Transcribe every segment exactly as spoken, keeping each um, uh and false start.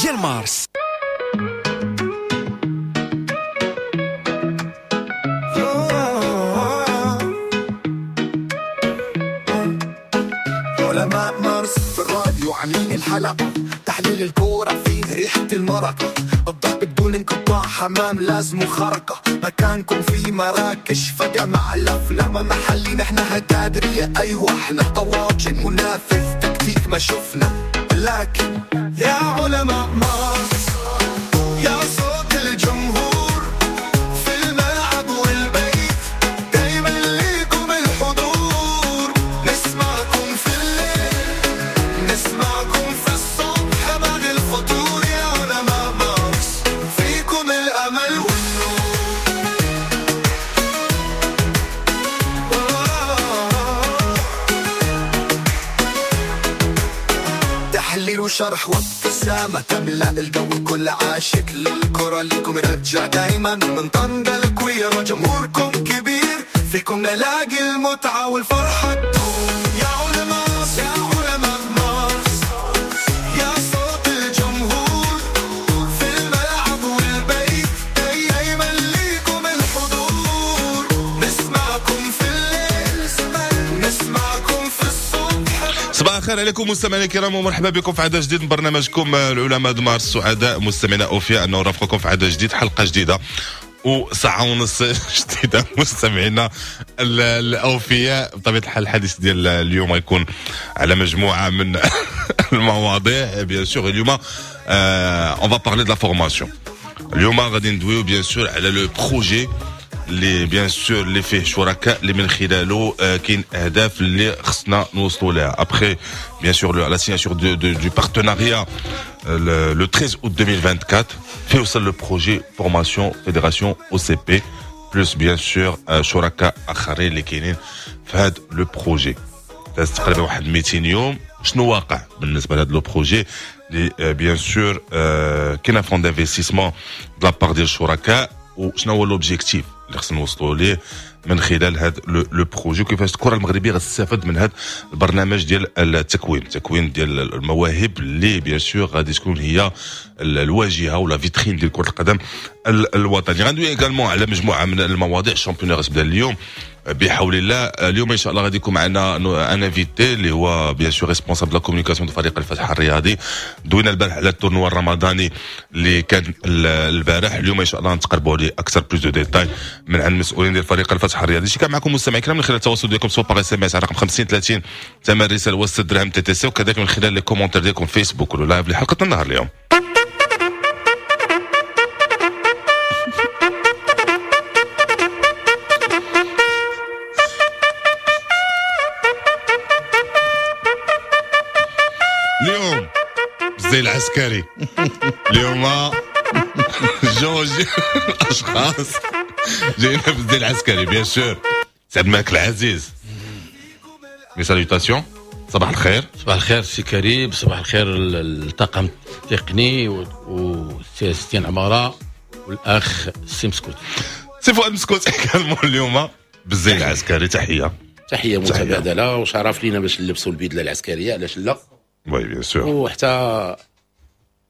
ديال مارس. علماء مارس في الراديو عاملين الحلقة، تحليل الكورة فيه ريحة المرقة، الضرب بدون انقطاع، حمام لازم خرقة، مكانكم في مراكش فجأة مع الأفلام محلي، نحن هتادرية أيوة احنا طواجن منافذ تكتيك ما شفنا، لكن يا علماء مارس يا صوت الجمهور في الملعب والبيت، دايما ليكم الحضور، نسمعكم في الليل نسمعكم في الصبح بعد الفطور، يا علماء مارس فيكم الأمل والنور. تحليل وشرح وابتسامة تملأ الجو، كل عاشق للكرة لكم رجع دايما من طنجة الكويرة، جمهوركم كبير فيكم نلاقي المتعة والفرحة تدوم. يا علماء يا علماء مارس يا صوت الجمهور في الملعب والبيت، دايما ليكم الحضور، نسمعكم في الليل نسمعكم في الصبح. صباح الخير عليكم مستمعينا الكرام ومرحبا بكم في عدد جديد من برنامجكم العلماء د مارس. سعداء مستمعينا اوفياء انه نرافقكم في عدد جديد، حلقة جديدة وساعة ونص جديدة مستمعينا الاوفياء. بطبيعة الحال الحديث ديال اليوم غيكون على مجموعة من المواضيع. bien sûr اليوم on va parler de la formation. اليوم غادي ندويو bien sûr على le projet اللي bien sûr اللي فيه شركاء اللي من خلاله كاين اهداف اللي خصنا نوصلوا لها. après bien sûr la signature du partenariat le treize août deux mille vingt-quatre فيه وصل le projet formation fédération OCP plus bien sûr شركاء اخرين اللي كاينين في هذا le projet. داز تقريبا واحد مئتين يوم. شنو واقع بالنسبة لهذا le projet اللي bien sûr كاين fonds d'investissement de la part ديال الشركاء، وشنو هو l'objectif اللي خصنا نوصلوا ليه من خلال هذا le projet، وكيفاش الكره المغربية غتستافد من هذا البرنامج ديال التكوين، التكوين ديال المواهب اللي bien sûr غادي تكون هي الواجهة ولا فيترين ديال كره القدم الوطنية. غندوي également على مجموعة من المواضيع. ال championnat غتبدا اليوم بحول الله. اليوم ان شاء الله غادي يكون معنا un invité اللي هو bien sûr responsable la communication ديال فريق الفتح الرياضي. دوينا البارح على ال tournoi الرمضاني اللي كان البارح. اليوم ان شاء الله نتقربوا ليه اكثر plus de détails من عند المسؤولين ديال فريق الفتح الرياضي. شي كان معكم مستمعي الكرام من خلال التواصل ديالكم سواء par SMS على رقم خمسين ثلاثين ثمن الرسالة وستة درهم TTC، وكذلك من خلال les commentaires ديالكم فيسبوك ولا live لحلقة النهار اليوم. اليوم زي العسكري اليوم جوج اشخاص جايين في الزي العسكري bien sûr. سعد مالك العزيز، mes salutations، صباح الخير. صباح الخير سي كريم، صباح الخير الطاقم التقني والسي ستين عمارة والاخ سي مسكوت، سي فؤاد مسكوت également اليوم بالزي العسكري. تحية تحية متبادلة وشرف لينا باش نلبسوا البدلة العسكرية، علاش لا؟ oui bien sûr. وحتى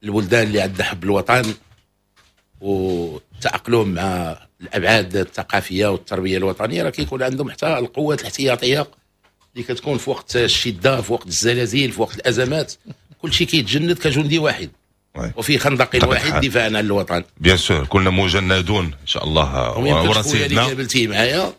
الولدان اللي عندها حب الوطن وتأقلم مع الابعاد الثقافية والتربية الوطنية راه كيكون عندهم حتى القوات الاحتياطيه اللي كتكون في وقت الشدة، في وقت الزلازل، في وقت الازمات، كل شيء كيتجند كجندي واحد وفي خندق واحد دفاعا عن الوطن. bien sûr كلنا مجندون ان شاء الله. ورا سيدنا اللي قابلتيه معايا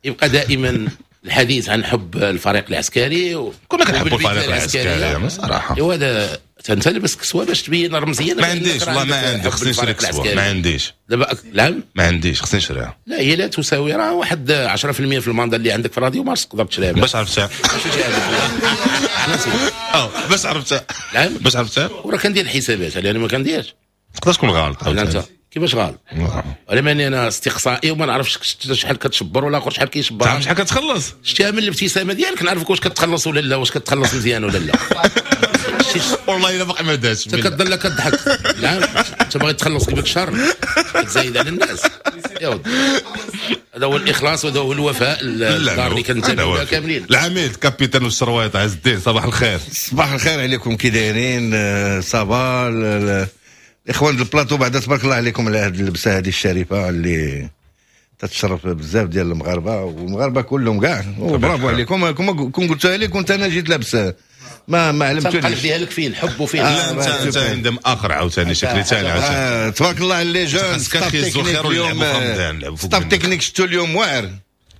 يبقى دائما الحديث عن حب الفريق العسكري و... كنا كنحبوا الفريق العسكري صراحة. ايوا هذا انت لبس كسوه باش تبين رمزيا. ما عنديش والله ما عندي، خصني نشري كسوه. ما عنديش دابا. نعم ما عنديش، خصني نشريها. لا هي لا تساوي، راه واحد عشرة بالمية في الماندا اللي عندك في راديو مارس تقدر تشريها. باش عرفتها؟ اه باش عرفتها؟ نعم باش عرفتها؟ وراه كندير الحسابات، انا ما كنديرش. تقدر تكون غلط. انت كيفاش غلط؟ انا ماني انا استقصائي وما نعرفش شحال كتشبر ولا اخر شحال كيشبر. تعرف شحال كتخلص؟ شتيها من الابتسامة ديالك نعرفك واش كتخلص ولا لا، واش كتخلص مزيان ولا لا. والله الا باقي ما داش. انت كتضل كتضحك. نعم انت باغي تخلص قبل شهر كتزايد على الناس. يا ودي هذا هو الاخلاص وهذا هو الوفاء الدار اللي كنتمي لها كاملين. العميد capitaine والشروايط عز الدين، صباح الخير. صباح الخير عليكم، كي دايرين؟ آه، ça va الاخوان البلاطو؟ بعدا تبارك الله عليكم على هذه اللبسه هذه الشريفة اللي تتشرف بزاف ديال المغاربة والمغاربة كلهم كاع، وبرافو عليكم. كون قلتها لي كنت انا جيت لابس، ما ما القلب علمتونيش. ديالك فيه الحب وفيه لا، انت انت عندهم اخر عاوتاني شكلي ثاني عاوتاني. آه، تبارك الله على les jeunes. خاصك staff يهزوا تكنيك خير اليوم. ونلعبوا في رمضان، نلعبوا فوق staff منك. تكنيك شفتو اليوم واعر.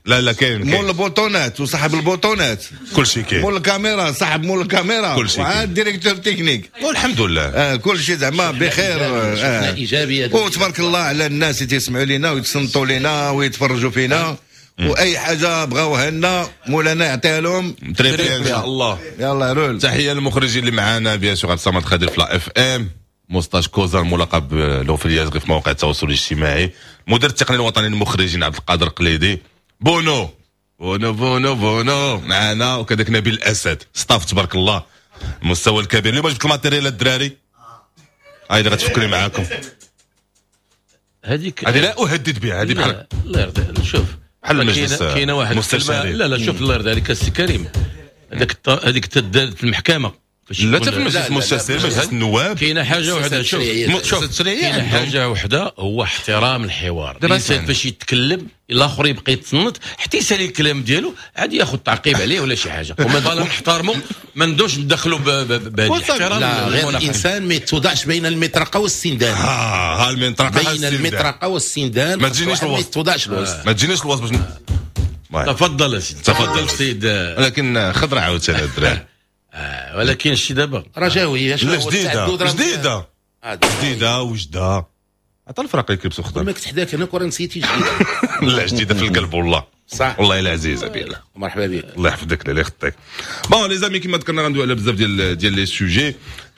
لا لا، كاين مول كاين البوطونات وصاحب البوطونات. كل شيء كاين. مول الكاميرا، صاحب مول الكاميرا. كل شيء وعاد directeur technique. والحمد لله. آه، كل شيء زعما بخير. شفنا آه. ايجابيه. وتبارك الله على الناس اللي تيسمعوا لينا ويتصنتوا لينا ويتفرجوا فينا، واي حاجة بغاوها لنا مولانا يعطيها لهم. très bien، ان شاء الله. يلا رول. تحية للمخرجين اللي معانا، bien sûr عبد الصمد خادر في la FM، موستاش كوزا الملقب له في اليازغي في مواقع التواصل الاجتماعي، مدير التقني الوطني للمخرجين عبد القادر قليدي، بونو بونو بونو بونو معنا، وكذلك نبيل الاسد. staff تبارك الله المستوى الكبير. اليوم جبت ال matériel الدراري، هاي اللي غتفكري معاكم. هذيك هذه لا اهدد بها، هذه بحال لا، الله يرضي، شوف بحال المجلس كاينه كاينه واحد المستشارين. الكلمة- لا لا، شوف، الله يرضي عليك السي كريم، هذاك الط- هذيك تدار في المحكمة فاش لا، يكون- حتى في المجلس لا، لا، المستشارين، لا، مجلس النواب. كاينه حاجة وحده، شوف. التشريعية. شوف التشريعية كاينه عندهم. حاجة وحده هو احترام الحوار. دابا الانسان اسمعني. فاش يتكلم الاخر يبقى يتصنت حتى يسالي الكلام ديالو، عاد ياخذ تعقيب عليه ولا شي حاجه. وما نحترموا، ما ندوش ندخلوا ب- ب- بهذه احترام لا، غير المناقشة. الانسان ما يتوضعش بين المطرقة والسندان. ها ها المنطقة بين السندان. المطرقة والسندان. ما تجينيش واحد ما الوسط. يتوضعش الوسط. ما تجينيش الوسط باش ن- تفضل اسيدي. تفضل. سيد. ولكن خضرة عاوتاني الدراري. آه، ولكن شي دابا رجاوي. لا، جديده جديده. آه، جديدة وجده، عطى الفرق اللي كيلبسوا خضر. ما كنت حداك انا كره نسيتي جديده. لا، جديدة في القلب والله. صح. والله الا عزيزه بيلا. مرحبا بك. الله يحفظك، الله يخطيك. bon les amis، كما ذكرنا غندوي على بزاف ديال ديال les sujets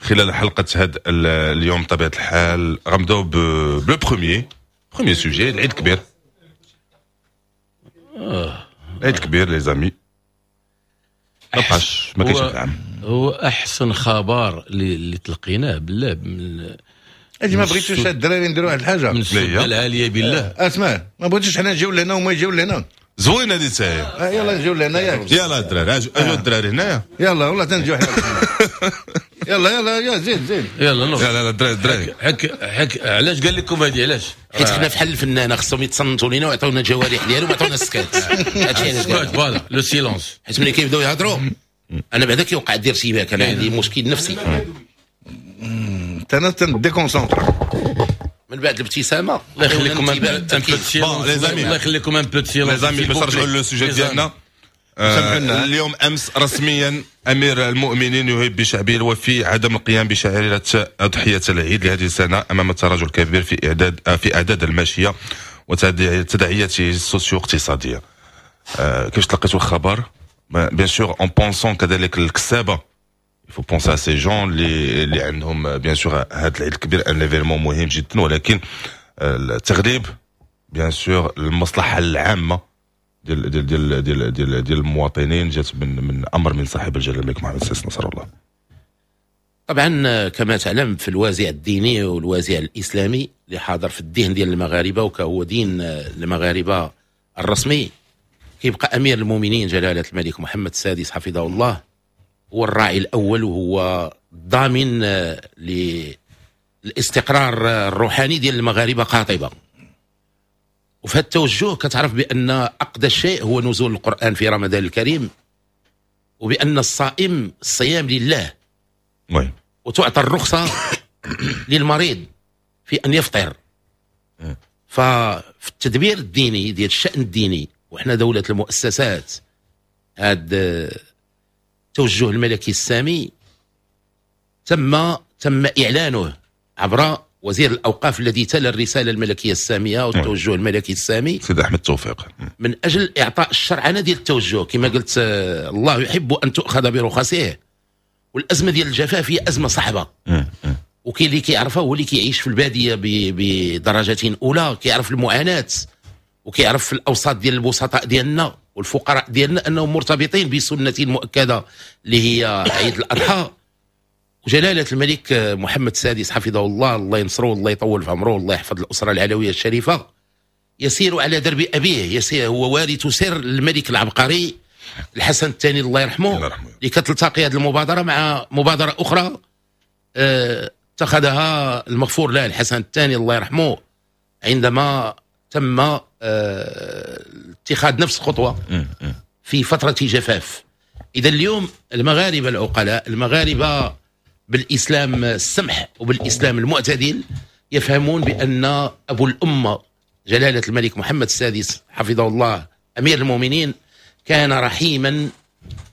خلال حلقة هذا اليوم. بطبيعة الحال غنبداو ب le premier premier sujet، العيد الكبير، العيد الكبير les amis، ما بقاش، ما كاينش هو- العام. هو احسن خبر اللي, اللي تلقيناه بالله من اجي، ما بغيتوش هاد الدراري نديروا واحد الحاجه؟ من السده العالية بالله. اسمع، ما بغيتوش حنا نجيو لهنا وما يجيو لهنا؟ زوينة هذه تاهي. آه، يلا نجيو لهنا ياك؟ يلا الدراري، اجوا اجوا الدراري هنايا. يلا والله تنجيو حنا، يلا يلا يا زيد زيد. يلا نوض. لا لا لا، الدراري الدراري. حك حك، علاش قال لكم هذه؟ علاش؟ حيت حنا فحال الفنانه، خصهم يتصنتوا لينا ويعطونا الجوارح ديالهم ويعطونا السكات، هادشي علاش قال. voilà le silence. حيت ملي كيبداو يهضروا انا بعدا كيوقع دير ارتباك، انا عندي مشكل نفسي. انت انا تن déconcentre. من بعد الابتسامه. الله يخليكم un peu Bon, les amis. الله يخليكم un peu silence. les amis، باش نرجعوا le sujet ديالنا، سامحوا لنا. اليوم امس رسميا امير المؤمنين يهيب بشعبه الوفي عدم القيام بشعيره اضحية العيد لهذه السنة امام التراجع الكبير في اعداد آه، في اعداد الماشية وتداعياته السوسيو اقتصاديه. آه، كيفاش تلقيتوا الخبر؟ bien sûr en pensant كذلك الكسابه، il faut penser à ces gens اللي اللي عندهم bien sûr هذا العيد الكبير un événement مهم جدا، ولكن آه، التغليب bien sûr المصلحة العامة ديال ديال ديال ديال ديال, ديال المواطنين جات من من امر من صاحب الجلاله الملك محمد السادس نصر الله. طبعا كما تعلم، في الوازع الديني والوازع الاسلامي اللي حاضر في الذهن ديال المغاربة وكهو دين المغاربة الرسمي، كيبقى امير المؤمنين جلاله الملك محمد السادس حفظه الله هو الراعي الاول وهو الضامن للاستقرار الروحاني ديال المغاربة قاطبه. وفي هذا التوجه كتعرف بان اقدس شيء هو نزول القران في رمضان الكريم، وبان الصائم الصيام لله oui وتعطى الرخصة للمريض في ان يفطر. ففي التدبير الديني ديال الشان الديني، وحنا دولة المؤسسات، هذا التوجه الملكي السامي تم تم اعلانه عبر وزير الاوقاف الذي تلا الرسالة الملكية السامية والتوجه الملكي السامي. سيد احمد توفيق. من اجل اعطاء الشرعنه ديال التوجه. كما قلت، آه، الله يحب ان تؤخذ برخصه، والازمة ديال الجفاف هي ازمة صعبه، وكاين اللي كيعرفها هو اللي كيعيش في البادية بدرجة اولى، كيعرف المعاناة وكيعرف في الاوساط ديال البسطاء ديالنا والفقراء ديالنا انهم مرتبطين بسنة مؤكدة اللي هي عيد الاضحى. وجلاله الملك محمد السادس حفظه الله، الله ينصره والله يطول في عمره والله يحفظ الاسرة العلوية الشريفه. يسير على درب ابيه، يسير هو وارث سر الملك العبقري الحسن الثاني الله يرحمه، اللي كتلتقي هذه المبادرة مع مبادرة اخرى اه اتخذها المغفور له الحسن الثاني الله يرحمه عندما تم اه اتخاذ نفس الخطوة في فترة جفاف. اذا اليوم المغاربة العقلاء، المغاربة بالاسلام السمح وبالاسلام المعتدل، يفهمون بان ابو الامة جلاله الملك محمد السادس حفظه الله امير المؤمنين كان رحيما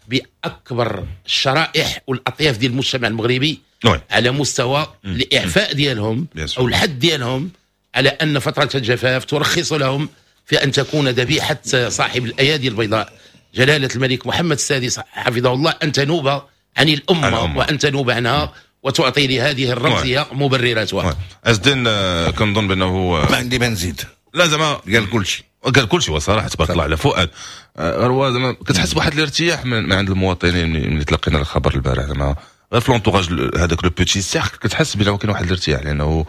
باكبر الشرائح والاطياف ديال المجتمع المغربي oui. على مستوى الاعفاء ديالهم او الحد ديالهم على ان فترة الجفاف ترخص لهم في ان تكون ذبيحة صاحب الايادي البيضاء جلاله الملك محمد السادس حفظه الله ان تنوب عن الامة، الأمة. وان تنوب عنها وتعطي لهذه الرمزية مبرراتها. عز الدين، كنظن بانه ما عندي ما نزيد. لا زعما قال كل شيء. قال كل شيء وصراحة تبارك الله على فؤاد. هو زعما كتحس بواحد الارتياح من, من عند المواطنين ملي تلقينا الخبر البارح، زعما غير في l'entourage هذاك le petit cercle كتحس بانه كاين واحد الارتياح لانه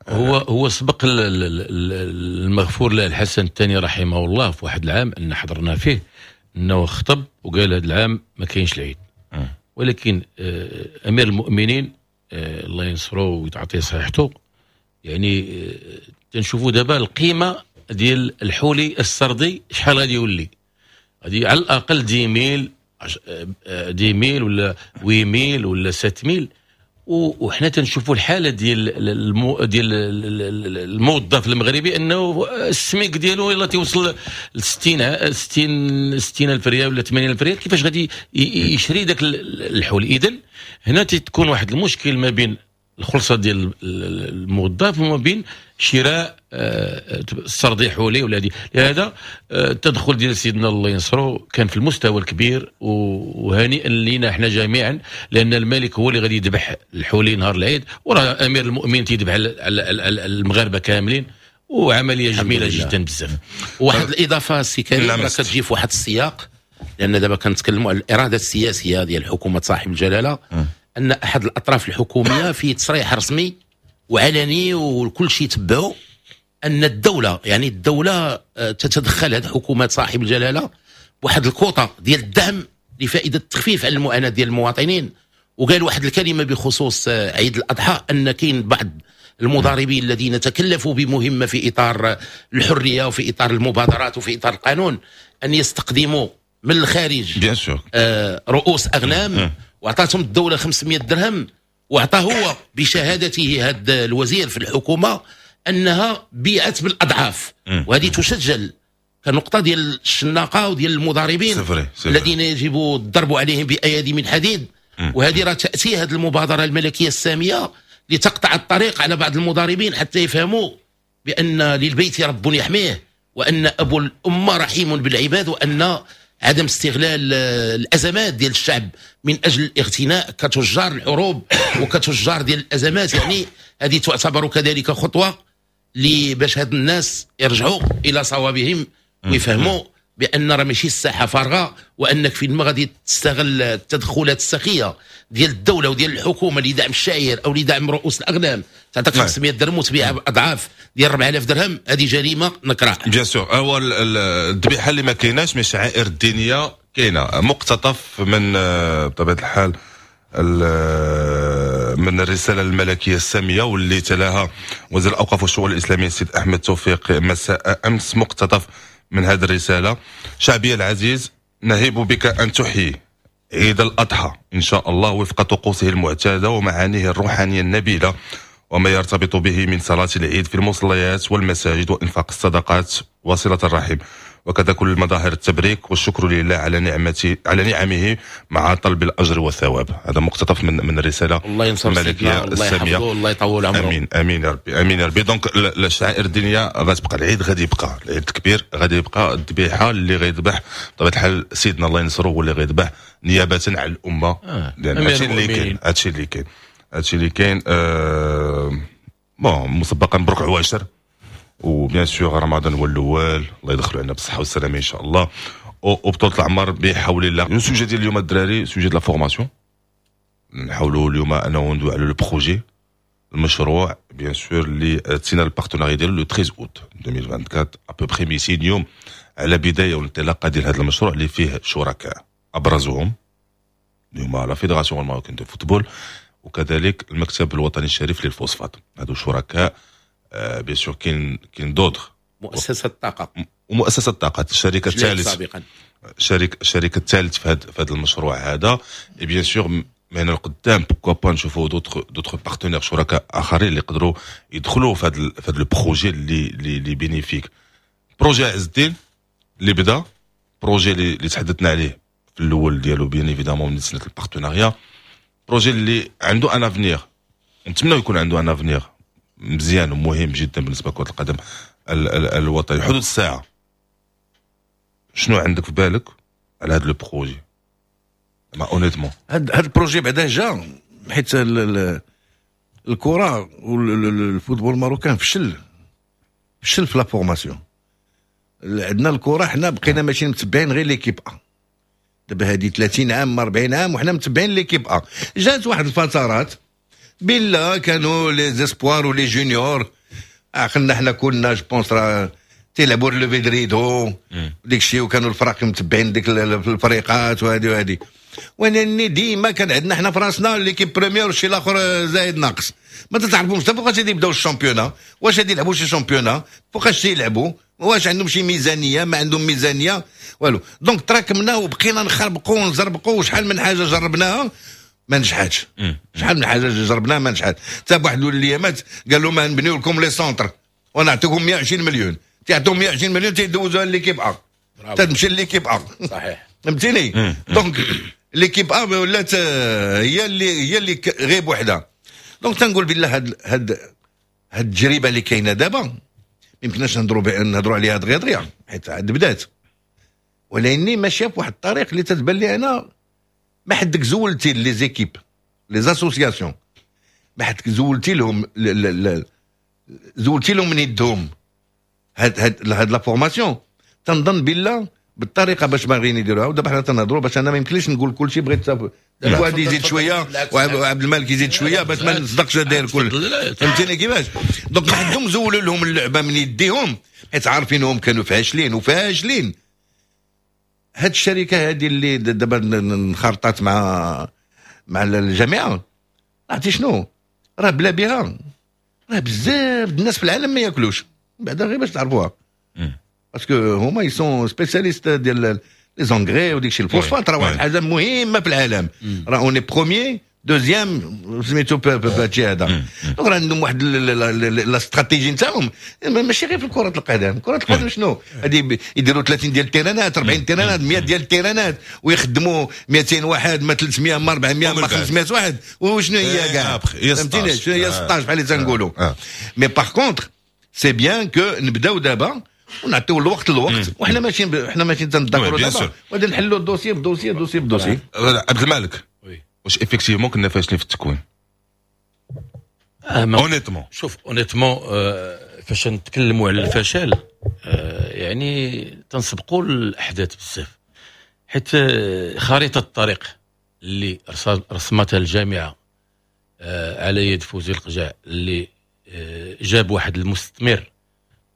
هو هو سبق المغفور له الحسن الثاني رحمه الله في واحد العام ان حضرنا فيه انه خطب وقال هذا العام ما كاينش العيد، ولكن آه، امير المؤمنين آه، الله ينصره ويعطيه صحته، يعني آه، تنشوفوا دابا القيمة ديال الحولي السردي شحال غادي يولي، غادي على الاقل dix mille dix mille ولا huit mille ولا sept mille. وحنا تنشوفوا الحالة ديال المو ديال الموظف المغربي انه السميك ديالو يلا تيوصل ل ستين ستين ستين الف ريال ولا ثمانين الف ريال، كيفاش غادي يشري ذاك الحول؟ اذا هنا تكون واحد المشكل ما بين الخلصة ديال الموظف وما بين شراء آه، السردي حولي ولا هذه. لهذا آه، التدخل ديال سيدنا الله ينصرو كان في المستوى الكبير، وهنيئا لنا احنا جميعا، لان الملك هو اللي غادي يذبح الحولي نهار العيد، وراه امير المؤمنين تيذبح على المغاربة كاملين، وعملية جميلة جدا بزاف. واحد الاضافة سي كريم، راه كتجي في واحد السياق، لان دابا كنتكلموا على الارادة السياسية ديال حكومة صاحب الجلاله، ان احد الاطراف الحكومية في تصريح رسمي وعلني وكل شيء تبعه ان الدوله، يعني الدولة آه، تتدخل هذه حكومة صاحب الجلاله بواحد الكوطه ديال الدعم لفائدة التخفيف على المعاناة ديال المواطنين. وقال واحد الكلمة بخصوص آه، عيد الاضحى، ان كاين بعض المضاربين الذين تكلفوا بمهمة في اطار الحرية وفي اطار المبادرات وفي اطار القانون ان يستقدموا من الخارج bien sûr آه رؤوس اغنام، واعطاتهم الدولة خمسمية درهم، واعطى هو بشهادته هذا الوزير في الحكومة انها بيعت بالاضعاف، وهذه تسجل كنقطه ديال الشناقه وديال المضاربين c'est vrai، c'est vrai. الذين يجب الضرب عليهم بايادي من حديد. وهذه راه تاتي هذه المبادرة الملكية السامية لتقطع الطريق على بعض المضاربين حتى يفهموا بان للبيت رب يحميه، وان ابو الامة رحيم بالعباد، وان عدم استغلال آه، الازمات ديال الشعب من اجل الاغتناء كتجار الحروب وكتجار ديال الازمات، يعني هذه تعتبر كذلك خطوة باش هاد الناس يرجعوا الى صوابهم ويفهموا بان راه ماشي الساحة فارغه، وانك فين ما غادي تستغل التدخلات السخيه ديال الدولة وديال الحكومة لدعم الشعير او لدعم رؤوس الاغنام، تعطيك خمسمية درهم وتبيعها باضعاف ديال أربعة آلاف درهم، هذه جريمة نكراء. bien sûr، هو الذبيحة اللي ما كايناش، mais الشعائر الدينية كاينه. مقتطف من آه، بطبيعة الحال من الرسالة الملكية السامية واللي تلاها وزير الأوقاف والشؤون الإسلامية السيد أحمد توفيق مساء أمس. مقتطف من هذه الرسالة: شعبي العزيز، نهيب بك أن تحيي عيد الأضحى إن شاء الله وفق طقوسه المعتادة ومعانيه الروحانية النبيلة وما يرتبط به من صلاة العيد في المصليات والمساجد وإنفاق الصدقات وصلة الرحم، وكذا كل مظاهر التبريك والشكر لله على نعمته على نعمه مع طلب الاجر والثواب. هذا مقتطف من من الرسالة الله ينصر الملكية الله يحفظه، الله يطول عمره. امين امين يا ربي، امين يا ربي. donc الشعائر الدينية غتبقى، العيد غادي يبقى، العيد الكبير غادي يبقى، الذبيحة اللي غيذبح بطبيعة الحال سيدنا الله ينصره هو اللي غيذبح نيابة عن الامه آه. لان هادشي اللي كاين، هادشي اللي كاين، هادشي اللي كاين. آه bon، مسبقا مبروك عواشر، و bien sûr رمضان هو الاول، الله يدخلوا علينا بالصحة والسلامة ان شاء الله وبطولة العمر بحول الله. le sujet ديال اليوم الدراري sujet de la formation. نحاولوا اليوم انه ندوي على le projet، المشروع bien sûr اللي تسينا ال partenariat ديالو le treize août. ألفين وأربعة وعشرين à peu près مئتين يوم على بداية والانطلاقه ديال هذا المشروع اللي فيه شركاء ابرزهم اللي هما la Fédération marocaine de football وكذلك المكتب الوطني الشريف للفوسفات. هادو شركاء، bien sûr كاين كاين d'autres. مؤسسة الطاقة. ومؤسسة الطاقه، الشركة الثالث سابقا. شريك الشريك الثالث في هذا في هذا المشروع هذا. et bien sûr من هنا لقدام pourquoi pas نشوفوا d'autres d'autres partenaires، شركاء اخرين اللي يقدروا يدخلوا في هذا في هذا ال projet اللي اللي اللي bénéfique. projet عز الدين اللي بدا، projet اللي, اللي تحدثنا عليه في الاول ديالو bien évidemment من سنة ال partenariat، projet اللي عنده un avenir، نتمنى يكون عنده un avenir مزيان ومهم جدا بالنسبة لكرة القدم الوطنية. حدود الساعة شنو عندك في بالك على هذا le projet ما honnêtement؟ هاد هاد ال projet بعدا جا حيت الكره وال football marocain فشل فشل في la formation. عندنا الكره حنا بقينا ماشيين متبعين غير l'équipe A. دابا هادي ثلاثين عام، أربعين عام وحنا متبعين l'équipe A. جات واحد الفترات بلا كانوا les espoirs و les juniors، عقلنا حنا كنا je pense راه تيلعبوا lever de rideau ديك الشيء، وكانوا الفرق متبعين ديك الفريقات وهذه وهذه. ولكن ديما كان عندنا حنا في راسنا l'équipe première والشيء الاخر زايد ناقص. ما تتعرفوش حتى فوقاش غادي يبداو ال championnat، واش غادي يلعبوا شي championnat، فوقاش تيلعبوا، واش عندهم شي ميزانيه، ما عندهم ميزانيه، والو. donc تراكمنا وبقينا نخربقوا ونزربقوا، وشحال من حاجة جربناها ما نجحتش، شحال من حاجة جربناها ما نجحت. حتى بواحد الايامات قالوا ما نبنيو لكم les centres ونعطيكم مية وعشرين مليون، تيعطيهم مية وعشرين مليون تيدوزوها l'équipe A، تمشي l'équipe A. صحيح. فهمتيني؟ donc l'équipe A ولات هي اللي هي اللي غير بوحدها. donc تنقول بالله هاد هاد هاد التجربة اللي كاينه دابا ما يمكنناش نهضروا نهضروا عليها دغيا دغيا حيت عاد بدات، ولكن ماشية بواحد الطريق اللي تتبان لي انا ما حدك زولتي les équipes، les associations، ما حدك زولتي لهم زولتي لهم من يدهم هاد هاد هاد la formation. تنظن بالله بالطريقة باش باغيين يديروها، ودابا حنا تنهضروا باش انا ما يمكنليش نقول كل شيء، بغيت فؤاد يزيد شوية وعبد الملك يزيد شوية باش ما نصدقش داير كل، فهمتيني كيفاش؟ donc ما عندهم زولوا لهم اللعبة من يديهم حيت عارفينهم كانوا فاشلين وفاشلين. هاد الشركة هذه اللي دابا انخرطات مع مع الجامعه، عرفتي شنو؟ راه بلا بها راه بزاف الناس في العالم ما ياكلوش، بعدا غير باش تعرفوها، parce que هما ils sont spécialistes ديال les engrais وديك الشيء. الفوسفات راه واحد الحاجة مهمة في العالم، راه on est premier، deuxième سميتو بهادشي هذا. donc راه عندهم واحد la stratégie نتاعهم، ماشي غير في كره القدم. كره القدم شنو هادي؟ يديروا ثلاثين ديال التيرانات، أربعين تيرانات، مية ديال التيرانات، ويخدموا مئتين واحد، ما ثلاثمية، ما أربعمية، ما خمسمية واحد، وشنو هي كاع؟ فهمتيني؟ شنو هي ستة عشر بحال اللي تنقولوا. mais par contre c'est bien que نبداو دابا ونعطيو الوقت للوقت، وحنا ماشيين حنا ماشيين تنذكروا دابا وغادي نحلوا ال dossier ب dossier، dossier ب dossier. عبد الملك، واش effectivement كنا فاشلين في التكوين؟ honnêtement. شوف، honnêtement فاش نتكلموا على الفشل آه، يعني تنسبقوا الاحداث بزاف، حيت آه، خريطة الطريق اللي رسمتها الجامعة آه، على يد فوزي القجع اللي جاب واحد المستثمر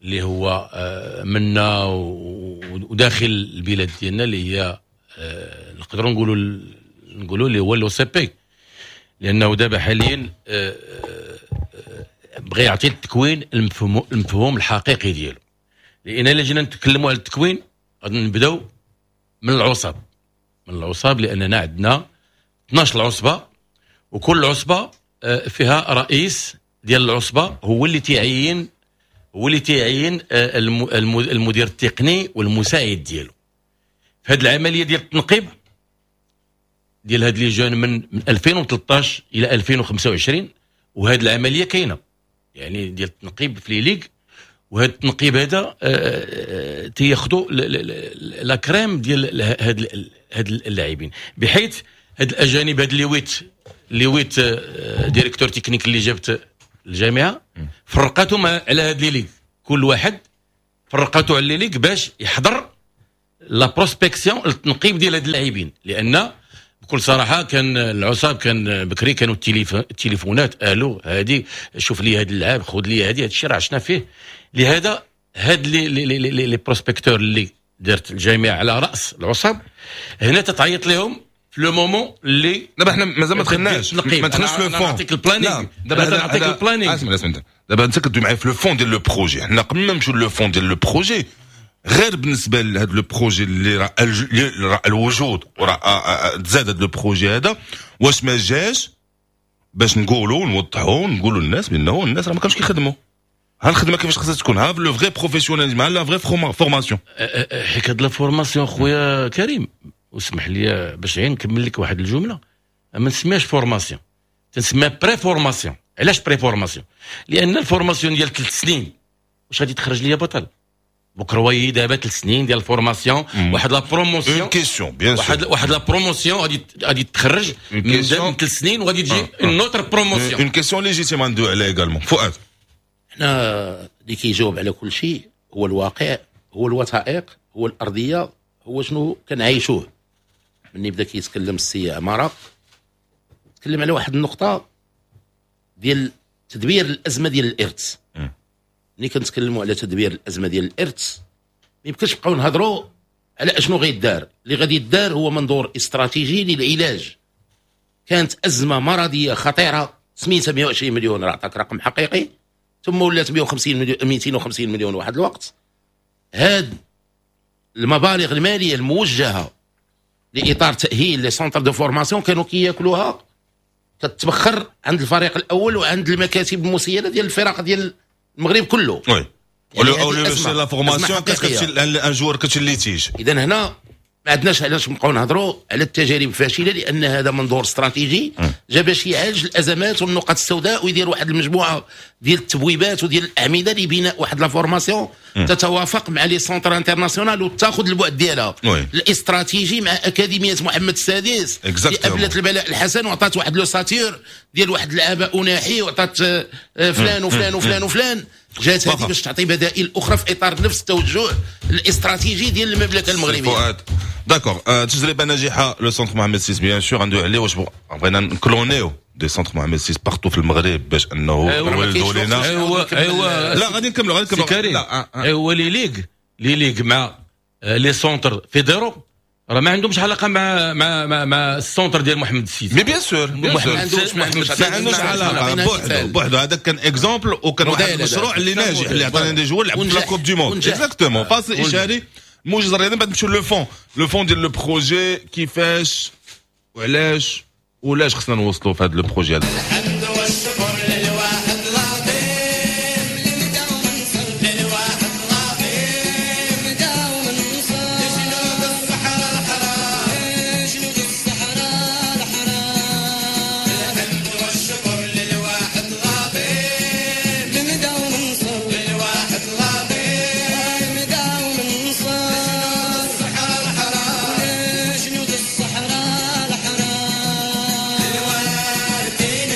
اللي هو منا وداخل البلاد ديالنا، اللي هي نقدروا نقولوا نقولوا اللي هو l'OCP، لانه دابا حاليا آه، آه، بغى يعطي التكوين المفهوم المفهوم الحقيقي ديالو. لان الا جينا نتكلموا على التكوين غادي نبداو من العصب من العصب لاننا عندنا اثنا عشر عصبه، وكل عصبه آه، فيها رئيس ديال العصبه، هو اللي تيعين هو اللي تيعين المدير التقني والمساعد ديالو. في هذه العملية ديال التنقيب ديال هاد les jeunes من من ألفين وثلاثة عشر الى ألفين وخمسة وعشرين، وهاد العملية كاينه يعني ديال التنقيب في les ligues، وهذا التنقيب هذا آه، آه، تياخذوا la crème ديال هاد هاد اللاعبين، بحيث هاد الاجانب، هاد les huit les huit آه، directeurs techniques اللي جابت الجامعة فرقاتهم على هاد les ligues، كل واحد فرقاتو على les ligues باش يحضر la prospection، التنقيب ديال هاد اللاعبين. لان بكل صراحة كان العصاب كان بكري كانوا التليفونات، الو هادي شوف لي هاد اللعاب، خذ لي هادي، هذا الشيء راه عشنا فيه. لهذا هاد les les les les, les prospecteurs اللي دارت الجامعة على راس العصب هنا تتعيط لهم في le moment اللي دابا حنا مازال ما دخلناش، ما دخلناش في le fond. نعطيك ال planning، دابا نعطيك ال planning. اسمع اسمع، دابا انت كدوي معايا في le fond ديال le projet. حنا قبل ما نمشيو le fond ديال le projet، غير بالنسبة لهذا le projet اللي راه راه الوجود وراه تزاد هذا le projet هذا، واش ما جاش باش نقولوا نوضحوا نقولوا للناس بانه الناس راه ما كانوش كيخدموا؟ ها الخدمة كيفاش خصها تكون، ها le vrai professionnalisme، ها la vraie formation. حيت هاد la formation خويا كريم، واسمح لي باش غير نكمل لك واحد الجمله، ما نسميهاش formation، تنسميها préformation. علاش préformation؟ لان ال formation ديال ثلاث سنين واش غادي تخرج لي بطل؟ بكروي دابا ثلاث سنين ديال ال formation، واحد la promotion une question bien sûr. واحد واحد la promotion غادي غادي تخرج من ثلاث سنين وغادي تجي une autre promotion. une question légitime ندوي عليها également فؤاد. حنا اللي كيجاوب على كل شيء هو الواقع، هو الوثائق، هو الارضيه، هو شنو كنعيشوه. مني بدا كيتكلم السي عمارة تكلم على واحد النقطة ديال تدبير الازمة ديال الارث. ملي كنتكلموا على تدبير الازمة ديال الارث ما يمكنش نبقاو نهضروا على اشنو غيدار. اللي غادي يدار هو منظور استراتيجي للعلاج. كانت ازمة مرضية خطيرة سميتها مية وعشرين مليون، راه عطاك رقم حقيقي، ثم ولات مية وخمسين مليون، ميتين وخمسين مليون واحد الوقت. هاد المبالغ المالية الموجهة لاطار تاهيل les centres de formation كانوا كياكلوها، كتبخر عند الفريق الاول وعند المكاتب المسيرة ديال الفرق ديال المغرب كله. oui يعني او la formation كتمشي un joueur كتمشي litige. اذا هنا ما عندناش علاش نبقاو نهضروا على التجارب الفاشله، لان هذا منظور استراتيجي جا باش يعالج الازمات والنقط السوداء ويدير واحد المجموعة ديال التبويبات وديال الاعمدة لبناء واحد la formation تتوافق مع les centres internationaux وتاخذ البعد ديالها الاستراتيجي مع اكاديمية محمد السادس اللي ابلت البلاء الحسن وعطات واحد l'ossature ديال واحد اللعابه اناحي وعطات آه، فلان وفلان وفلان وفلان. جات هذه باش تعطي بدائل اخرى في اطار نفس التوجه الاستراتيجي ديال المملكة المغربيه. فؤاد، d'accord، تجربه ناجحة le centre محمد six bien sûr عنده عليه. واش بغينا نكلونيو des centres محمد six partout في المغرب باش انه ولدوا لنا؟ ايوا ايوا لا، غادي نكملوا، غادي نكملوا. ايوا les ligues les ligues مع les centres fédéraux راه ما عندهمش علاقة مع مع مع, مع ال centre ديال محمد السيد. mais bien sûr، bien sûr، ما عندوش علاقه، بوحدو بوحدو. هذاك كان exemple وكان واحد المشروع اللي ناجح اللي عطانا des joueurs لعبوا في la Coupe du monde. exactement. فاصل اشاري، موجز الرياضي، بعد نمشيو le fond le fond ديال le projet، كيفاش وعلاش ولاش خصنا نوصلوا في هذا le projet هذا. الحمد والشكر للواحد العظيم للواحد العظيم دوم النصر جنود الصحراء الحرام، جنود الصحراء الحرام. الحمد والشكر للواحد العظيم دوم النصر للواحد العظيم دوم النصر جنود الصحراء الحرام، جنود الصحراء الحرام. الوالدين.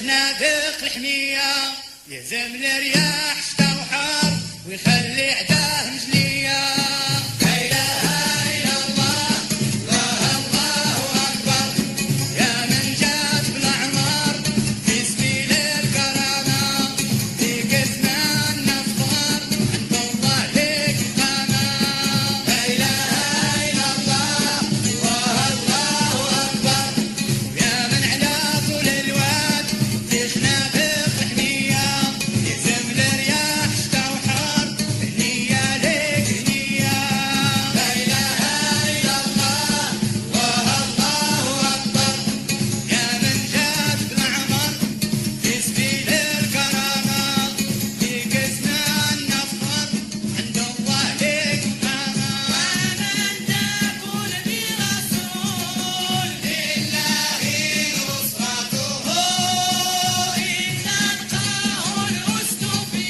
خنادق الحمية يهزم الرياح شتا وحار ويخلي عداه مجلية. لا إله إلا الله الله الله أكبر يا من جات بالأعمار في سبيل الكرامة في كسمان نفخر عند الله لك قامة. لا إله إلا الله الله الله أكبر يا من على طول الواد في خنادق الحمية يهزم الرياح شتا وحار هنية لك هنية. لا إله إلا الله الله الله أكبر يا من جات بالأعمار في سبيل الكرامة في كسمان نفخر عند الله لك قامة. ومن تكون برسول لله نصرته إن نلقاه الأسد في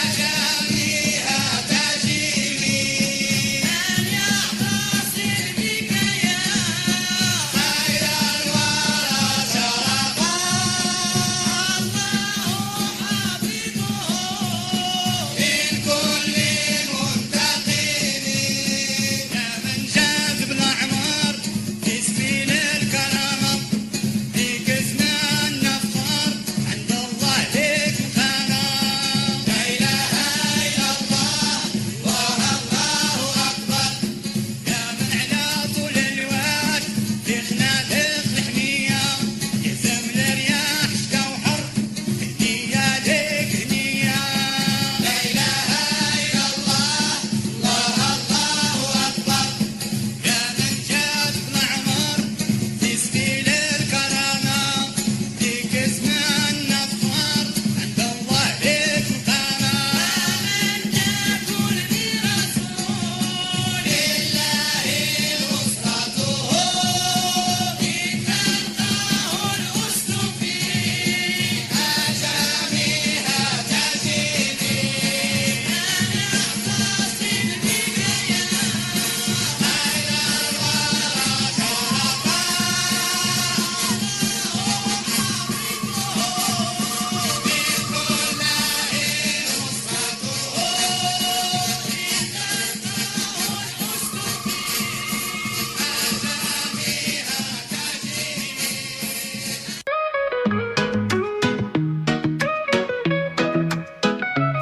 أجاميها تجري من يعتصم بك يا خير الورى شرفا الله حافظه من كل منتقم. يا من جاد بالأعمار في سبيل الكرامة في كزمان نفخر عند الله لك مقامة. لا إله إلا الله الله الله أكبر يا من على طول الواد في خنادق الحمية يهزم الرياح شتا وحر هنية لك هنية. لا إله إلا الله الله الله أكبر يا من جاد بالأعمار في سبيل الكرامة في كزمان نفخر عند الله لك مقامة. ومن تكون برسول لله نصرته إن تلقاه الأسد في أجاميها تجري من يعتصم بك يا خير الورى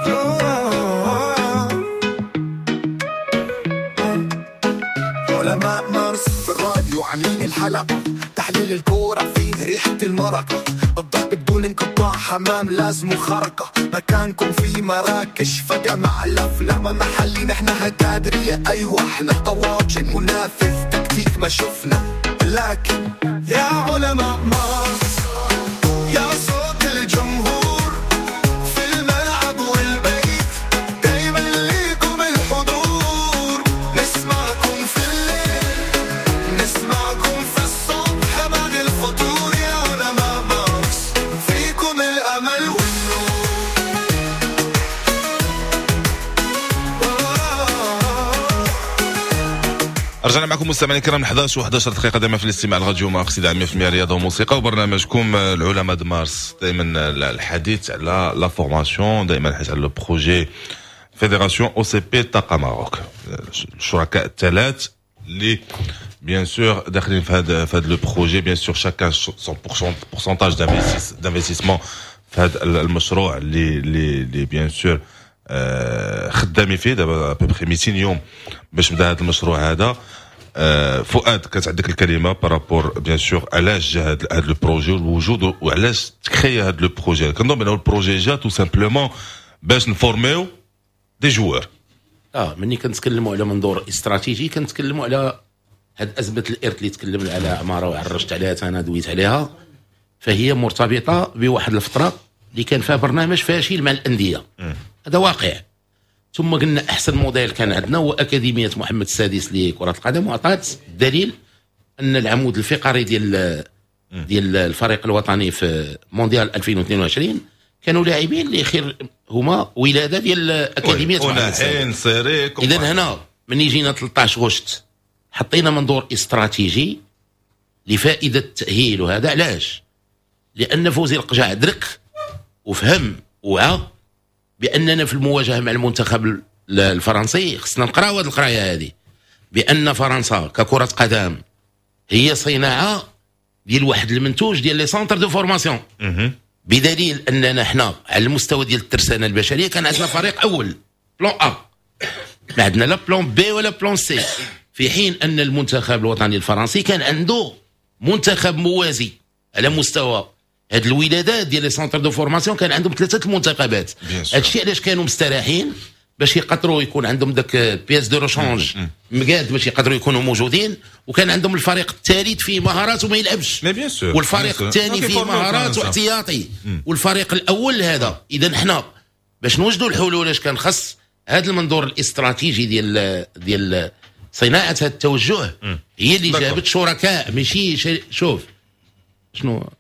شرفا علماء مارس في الراديو عاملين الحلقة، تحليل الكورة فيه ريحة المرقة، الضرب بدون انقطاع حمام لازم خرقة، مكانكم في مراكش فجأة مع الأفلام محلي نحنا هكادرية أيوة احنا طواجن منافذ تكتيك ما شفنا، لكن يا علماء مارس يا صوت الجمهور في الملعب والبيت دايما ليكم الحضور، نسمعكم في الليل نسمعكم في الصبح بعد الفطور، يا علماء مارس فيكم الأمل والنور. رجعنا معكم مستمعينا الكرام احداش وحداش دقيقة دائما في الاستماع لراديو مارس إذاعة مية بالمية رياضة وموسيقى وبرنامجكم العلماء د مارس. دائما الحديث على la formation، دائما الحديث على le projet fédération OCP طاقة Maroc، الشركاء الثلاث اللي bien sûr داخلين في هذا في هذا le projet، bien sûr chacun son pourcentage d'investissement في هذا المشروع اللي اللي اللي bien sûr خدامين فيه دابا à peu près ميتين يوم باش بدا هذا المشروع هذا. آه، فؤاد كانت عندك الكلمة par rapport bien sûr علاش جا هذا هذا le projet والوجود وعلاش تcréa هذا le projet. كنظن بانه ال projet جا tout simplement باش نformerيو des joueurs. اه ملي كنتكلموا على منظور استراتيجي كنتكلموا على هاد ازمة الارث اللي تكلمنا على عمارة وعرجت عليها انا دويت عليها، فهي مرتبطة بواحد الفترة اللي كان فيها برنامج فاشل مع الاندية، هذا واقع. ثم قلنا احسن موديل كان عندنا هو اكاديمية محمد السادس لكرة القدم، واعطات الدليل ان العمود الفقري ديال ديال الفريق الوطني في مونديال ألفين واثنين وعشرين كانوا لاعبين اللي خير هما ولاده ديال اكاديمية محمد السادس. اذا هنا من يجينا ثلاثطاش غشت حطينا منظور استراتيجي لفائدة التاهيل. وهذا علاش؟ لان فوزي القجع درك وفهم وعى باننا في المواجهة مع المنتخب الفرنسي خصنا نقراو هذه القراية هذه، بان فرنسا ككره قدم هي صناعة ديال واحد المنتوج ديال les centres de formation، بدليل اننا حنا على المستوى ديال الترسانه البشرية كان عندنا فريق اول plan A، ما عندنا لا plan B ولا plan C، في حين ان المنتخب الوطني الفرنسي كان عنده منتخب موازي على مستوى هاد الولادات ديال les centres de formation، كان عندهم ثلاثة المنتخبات. هادشي علاش كانوا مستراحين باش يقدروا يكون عندهم داك pièce de rechange مقاد باش يقدروا يكونوا موجودين، وكان عندهم الفريق الثالث فيه مهارات وما يلعبش، والفريق الثاني فيه مهارات واحتياطي، والفريق الاول هذا. اذا حنا باش نوجدوا الحلول اش كان خص هذا المنظور الاستراتيجي ديال ديال صناعة هذا التوجه هي اللي جابت شركاء، ماشي شوف شنو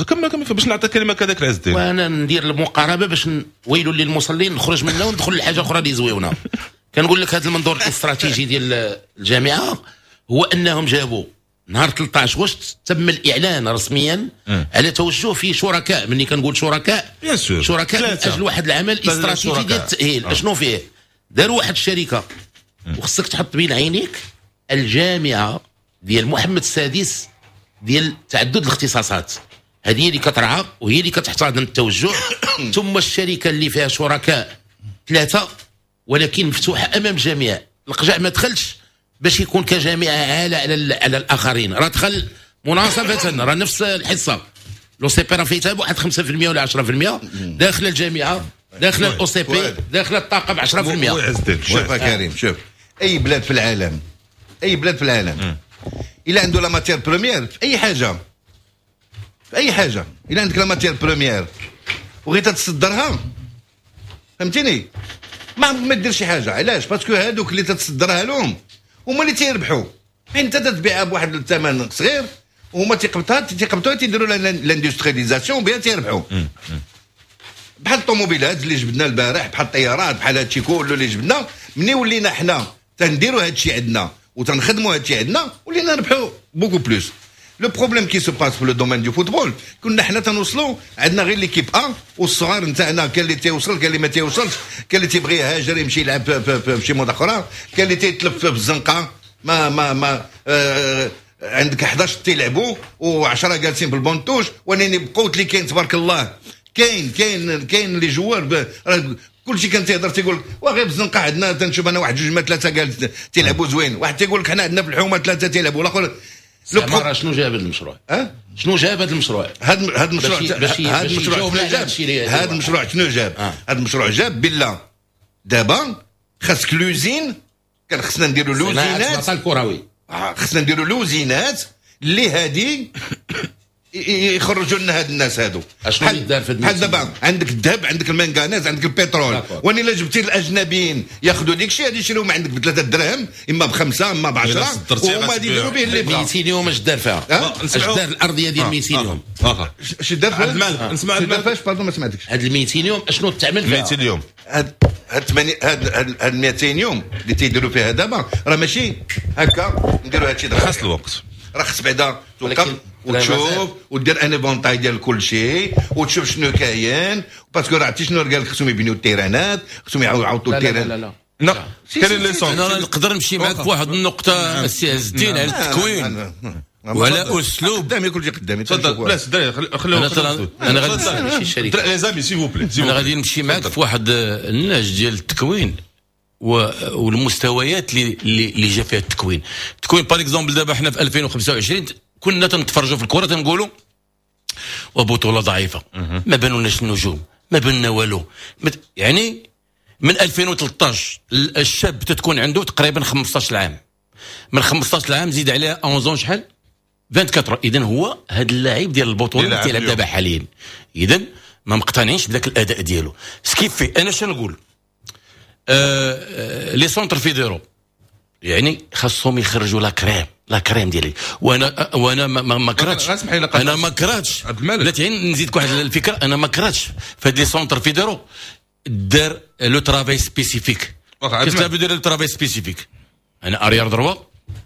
كمل كمل باش نعطي كلمة كذاك العز الدين. وانا ندير المقاربة باش ويل للمصلين نخرج منها وندخل لحاجة اخرى اللي زويونه. كنقول لك هذا المنظور الاستراتيجي ديال الجامعة هو انهم جابوا نهار ثلاثة عشر غشت تم الاعلان رسميا م. على توجه في شركاء. ملي كنقول شركاء شركاء من اجل واحد العمل استراتيجي ديال التاهيل. آه. اشنو فيه؟ داروا واحد الشركة، وخصك تحط بين عينيك الجامعة ديال محمد السادس ديال تعدد الاختصاصات، هذه اللي كترعى وهي اللي كتحتضن التوجه. ثم الشركة اللي فيها شركاء ثلاثة ولكن مفتوحة امام الجميع. القجع ما دخلش باش يكون كجامعه عالة على على الاخرين، راه دخل مناصفه، راه نفس الحصة l'OCP راه فيتها بواحد خمسة بالمية ولا عشرة بالمية داخل الجامعة، داخل ال OCP، داخل الطاقة ب عشرة بالمية. شوف يا كريم، شوف اي بلاد في العالم، اي بلاد في العالم الا عنده la matière première في اي حاجة، في اي حاجة الا عندك la matière première وغير تتصدرها، فهمتيني، ما ما دير شي حاجة. علاش؟ parce que هادوك اللي تتصدرها لهم هما اللي تيربحوا، حين انت تتبيعها بواحد الثمن صغير وهما تيقبطها تيقبطوها تيديروا l'industrialisation بها تيربحوا. بحال الطوموبيلات اللي جبدنا البارح، بحال الطيارات، بحال هادشي كله اللي جبدنا. مني ولينا حنا تنديروا هادشي عندنا وتنخدموا هادشي عندنا ولينا نربحوا beaucoup plus. le problème qui se passe في le domaine du football، كنا حنا تنوصلوا عندنا غير l'équipe A والصغار نتاعنا، كان اللي تيوصل كان اللي ما تيوصلش، كان اللي تيبغي يهاجر يمشي يلعب في شي موضة اخرى، كان اللي تيتلف في الزنقة ما ما ما آه عندك حداش تيلعبوا وعشرة جالسين في ال banc de touche. ولكن بقوت اللي كاين تبارك الله، كاين كاين كاين les joueurs، كلشي كان تيهضر تيقول وغير بالزنقه عندنا تنشوف انا واحد جوج ما ثلاثة جالس تيلعبوا زوين، واحد تيقول لك حنا عندنا في الحومه ثلاثة تيلعبوا، الاخر لو شنو جاب هذا المشروع؟ أه؟ شنو جاب هذا المشروع؟ هذا هذا المشروع هذا المشروع شنو جاب؟ هذا المشروع شنو جاب؟ هذا المشروع جاب بالله دابا خاصك l'usine، كان خصنا نديروا لوزينات الكروي، خصنا نديروا لوزينات اللي هادي يخرجوا لنا هاد الناس هادو. اشنو اللي دار في بحال دابا عندك الذهب، عندك المنغنيز، عندك البترول، وان الا جبتي الاجنبيين ياخذوا ديك الشيء غادي يشريو من عندك بثلاثة دراهم، اما بخمسة اما بعشرة، وهما غادي يديروا به اللي بغا. ميتين يوم اش دار فيها؟ اش دار الارضية ديال ميتين يوم؟ اش دار فيها؟ عبد المالك نسمع عبد المالك فاش pardon ما سمعتكش. هاد ال ميتين يوم اشنو تعمل فيها؟ ميتين يوم هاد هاد هاد هاد ميتين يوم اللي تيديروا فيها دابا راه ماشي هكا نديروا هادشي، خاص الوقت، راه خص بعدا توقف وتشوف ودير un éventail ديال كل شيء وتشوف شنو كاين، parce que راه عرفتي شنو قال لك خصهم يبنيو التيرانات، خصهم يعاودوا ال terrain. لا لا لا كاين les centres. انا نقدر نمشي معك في واحد النقطة السي عز الدين على التكوين وعلى اسلوب قدامي كل شيء قدامي. تفضل بلاش الدراري خليو انا غادي les amis s'il vous plaît، انا غادي نمشي معك في واحد النهج ديال التكوين والمستويات اللي اللي جا فيها التكوين. التكوين par exemple دابا حنا في ألفين وخمسة وعشرين كنا تنتفرجوا في الكره تنقولوا وبطولة ضعيفة، ما بانولناش النجوم، ما بان والو. يعني من ألفين وثلاثة عشر الشاب تتكون عنده تقريبا خمسطاش عام، من خمسطاش عام زيد عليها أحد عشر شحال أربعة وعشرين. اذا هو هذا اللاعب ديال البطولة اللي تيلعب دابا حاليا، اذا ما مقتنعينش بداك الاداء ديالو. ce qui fait انا شنو نقول، آه les centres fédéraux يعني خاصهم يخرجوا la crème la crème ديالي. وانا وانا ما, ما كرهتش، انا ما كرهتش بلاتي نزيدك واحد الفكرة، انا ما كرهتش في هاد les centres fédéraux دار le travail spécifique. كيف دير le travail spécifique؟ انا arrière droit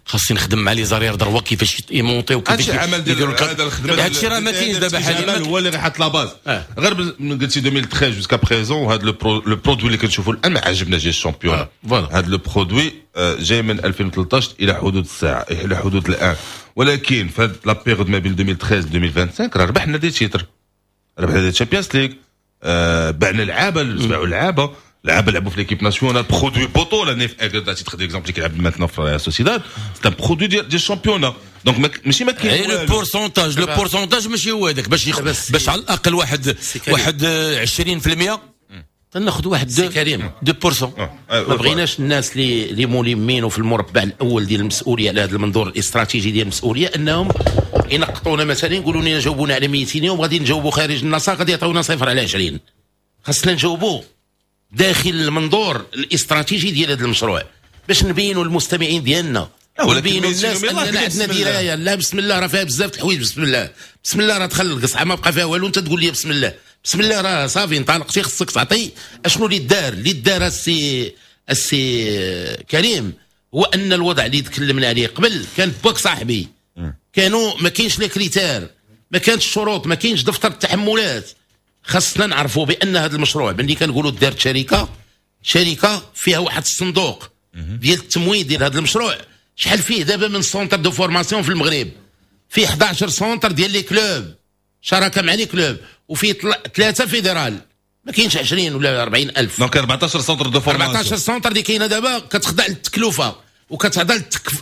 خاصني نخدم مع les arrières droits كيفاش يمونطيو، كيفاش هادشي عمل ديال هذا الخدمه. هادشي راه ما كاينش دابا حاليا. هو اللي غيحط la base. غير قلتي ألفين وثلاثة عشر jusqu'à présent، هذا le produit اللي كنشوفوا الان ما عجبناش ديال ال championnat، هذا le produit جاي من ألفين وثلاثة عشر الى حدود الساعه، الى حدود الان. ولكن في la période ما بين ألفين وثلاثة عشر ألفين وخمسة وعشرين راه ربحنا des titres، ربحنا des Champions League، بعنا لعابه، باعوا لعابه، لعابه لعبوا في l'équipe nationale، produit بطوله. نيف اكرد à titre d'exemple اللي كيلعب maintenant في سوسيداد، c'est un produit ديال ديال ال championnat، donc ماشي ما كاين le pourcentage le pourcentage ماشي هو هذاك باش يخ... باش على الاقل واحد واحد عشرين في المية تناخذ واحد deux كريم deux pour cent. ما بغيناش الناس اللي اللي ملمين وفي المربع الاول ديال المسؤولية على هذا المنظور الاستراتيجي ديال المسؤولية انهم ينقطونا، مثلا يقولوا لنا جاوبونا على ميتين يوم، غادي نجاوبوا خارج النص، غادي يعطيونا صفر على عشرين. خاصنا نجاوبوا داخل المنظور الاستراتيجي ديال هذا المشروع باش نبينوا المستمعين ديالنا ونبينوا الناس اننا عندنا درايه. لا، بسم الله راه فيها بزاف الحوايج. بسم الله، بسم الله راه دخل القصعه ما بقى فيها والو. انت تقول لي بسم الله، بسم الله راه صافي انطلقتي، خصك تعطي اشنو اللي دار. اللي دار السي السي كريم هو ان الوضع اللي تكلمنا عليه قبل كان باك صاحبي كانوا ما كاينش les critères، ما كانش الشروط، ما كاينش دفتر التحملات. خاصنا نعرفوا بان هذا المشروع ملي كنقولوا دارت شركه، شركة فيها واحد الصندوق ديال التمويل ديال هذا المشروع. شحال فيه دابا من centres de formation في المغرب؟ فيه حداش centres ديال les clubs، شراكة مع les clubs، وفيه ثلاثة fédéral. ما كاينش عشرين ولا أربعين الف. donc أربعطاش centres de formation. أربعطاش centre اللي كاينه دابا كتخضع للتكلفه وكتخضع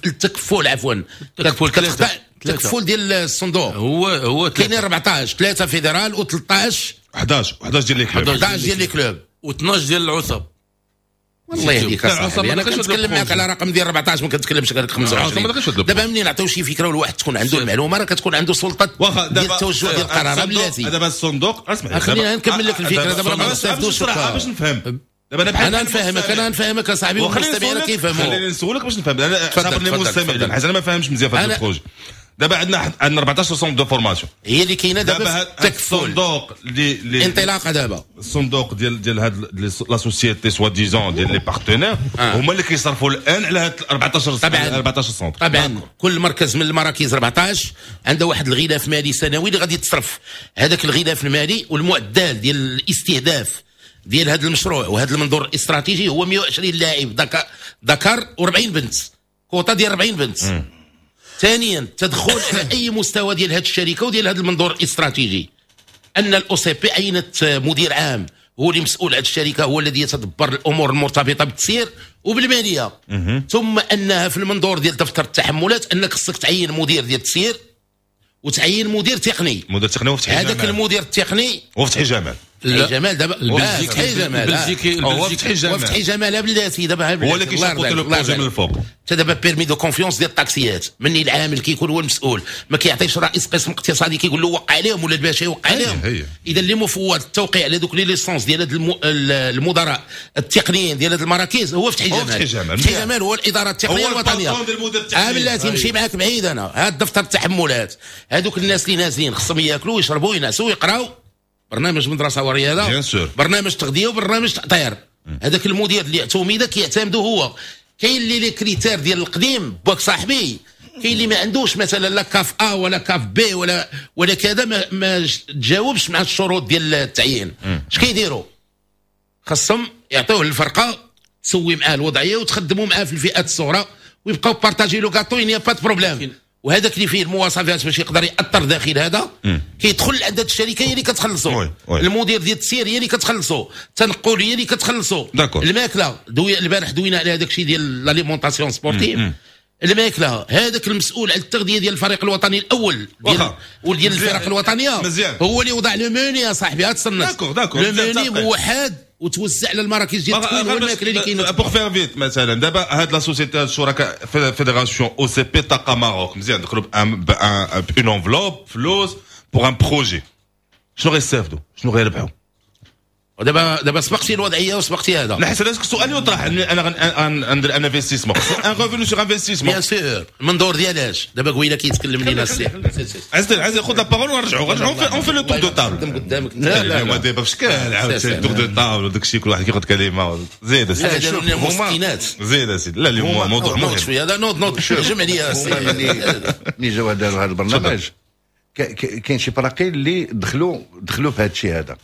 للتكفل، عفوا، كتخضع التكفل ديال الصندوق. هو هو كاينين أربعطاش، ثلاثة fédéral وثلاثطاش. حداش، حداش ديال les clubs. حداش ديال les clubs. وثناش ديال العصب. والله يهديك اصاحبي، انا كنتكلم معك على رقم ديال أربعطاش، ما كنتكلمش غير خمسة وعشرين. دابا منين نعطيو شي فكرة والواحد تكون عنده المعلومه، راه كتكون عنده سلطة ديال التوجه ديال القرار. بلاتي. دابا الصندوق، اسمع. خلينا نكمل لك الفكرة دابا، ما نستافدوش. باش نفهم دابا انا بحال انا نفهمك، انا نفهمك اصاحبي، والمستمعين كيفهموا. خليني نسولك باش نفهم انا، صابرني المستمعين حيت انا ما فاهمش مزيان في هذا ال projet. دابا عندنا عندنا أربعطاش centres de formation. هي اللي كاينه دابا. التكفل الصندوق اللي اللي انطلاقة دابا. الصندوق ديال ديال هاد la société soi-disant ديال les partenaires هما اللي كيصرفوا الان على هاد أربعطاش. طبعا. أربعطاش centre. طبعا، كل مركز من المراكز أربعطاش عنده واحد الغلاف مالي سنوي اللي غادي يتصرف هذاك الغلاف المالي. والمعدل ديال الاستهداف ديال هذا المشروع وهذا المنظور الاستراتيجي هو مية وعشرين لاعب ذكر وأربعين بنت، كوطا ديال أربعين بنت. ثانيا، التدخل على اي مستوى ديال هذه الشركة وديال هذا المنظور الاستراتيجي ان ال OCP عينت مدير عام هو اللي مسؤول على الشركه، هو الذي يتدبر الامور المرتبطة بالتسيير وبالماليه. ثم انها في المنظور ديال دفتر التحملات انك خصك تعين مدير ديال التسيير وتعين مدير تقني. مدير تقني وفتحي هذاك المدير التقني. وفتحي جمال. فتحي جمال دابا. البلجيكي. فتحي جمال. البلجيكي. هو فتحي جمال. وفتحي جمال بلاتي دابا. هو اللي كي chapeauter le projet من الفوق. حتى دابا permis de confiance ديال الطاكسيات، مني العامل كيكون هو المسؤول، ما كيعطيش رئيس قسم اقتصادي كيقول له وقع عليهم ولا الباشا يوقع عليهم. اذا اللي مفوض التوقيع على دوك les licences ديال هاد المدراء التقنيين ديال هاد المراكز هو فتحي جمال. فتحي جمال. فتحي جمال هو الادارة التقنية الوطنيه. اه بلاتي، نمشي معاك بعيد انا. هاد دفتر التحملات، هادوك الناس اللي نازلين خصهم ياكلوا ويشربوا وينعسوا ويقراوا، برنامج مدرسه ورياضه، برنامج تغذية وبرنامج تاطير. هذاك المدير اللي اعتمد كيعتمدوا هو. كاين اللي les critères ديال القديم باك صاحبي، كاين اللي ما عندوش مثلا لا CAF A ولا CAF B ولا ولا كذا، ما, ما تجاوبش مع الشروط ديال التعيين. اش كيديروا؟ خاصهم يعطيوه للفرقة تسوي معاه الوضعية وتخدموا معاه في الفئات الصغرى ويبقاو partager le gâteau، y a pas de problème. وهذاك اللي فيه المواصفات باش يقدر يأطر داخل هذا كيدخل عند هذه الشركه، هي اللي كتخلصو. المدير ديال التسيير هي اللي كتخلصو، التنقل هي اللي كتخلصو، الماكله. دوي البارح دوينا على هذاك الشيء ديال l'alimentation sportive، الماكله. هذاك المسؤول على التغذية ديال الفريق الوطني الاول ديال وديال الفرق الوطنية مزيان. هو اللي وضع le menu يا صاحبي. هاد الصنف d'accord d'accord le menu موحد وتوزع على المراكز ديال التكوين والماكله اللي كاينه. pour faire vite، مثلا دابا هاد la société الشركاء fédération OCP طاقة Maroc، مزيان، دخلوا ب une enveloppe فلوس pour un projet. شنو غيستافدوا؟ شنو غيربحوا؟ ودابا دابا سبقتي الوضعية وسبقتي هذا. لا، حيت هذا السؤال يطرح، انا غندير un investissement، un revenu sur investissement. bien sûr، من دور ديالاش دابا قبيلة كيتكلم لينا السي عز عز، خذ la parole ونرجعوا نرجعوا، on fait le tour de table. قدامك. لا لا، دابا في شكال عاوتاني tour de table وداك الشيء، كل واحد كياخذ كلمه. زيد. اسيدي، هما زيد اسيدي. لا، اليوم موضوع مهم. شوية هذا، نوض نوض، جمع لي. ملي جاو داروا هذا البرنامج، كاين شي فراقي اللي دخلوا دخلوا في هذا الشيء هذا.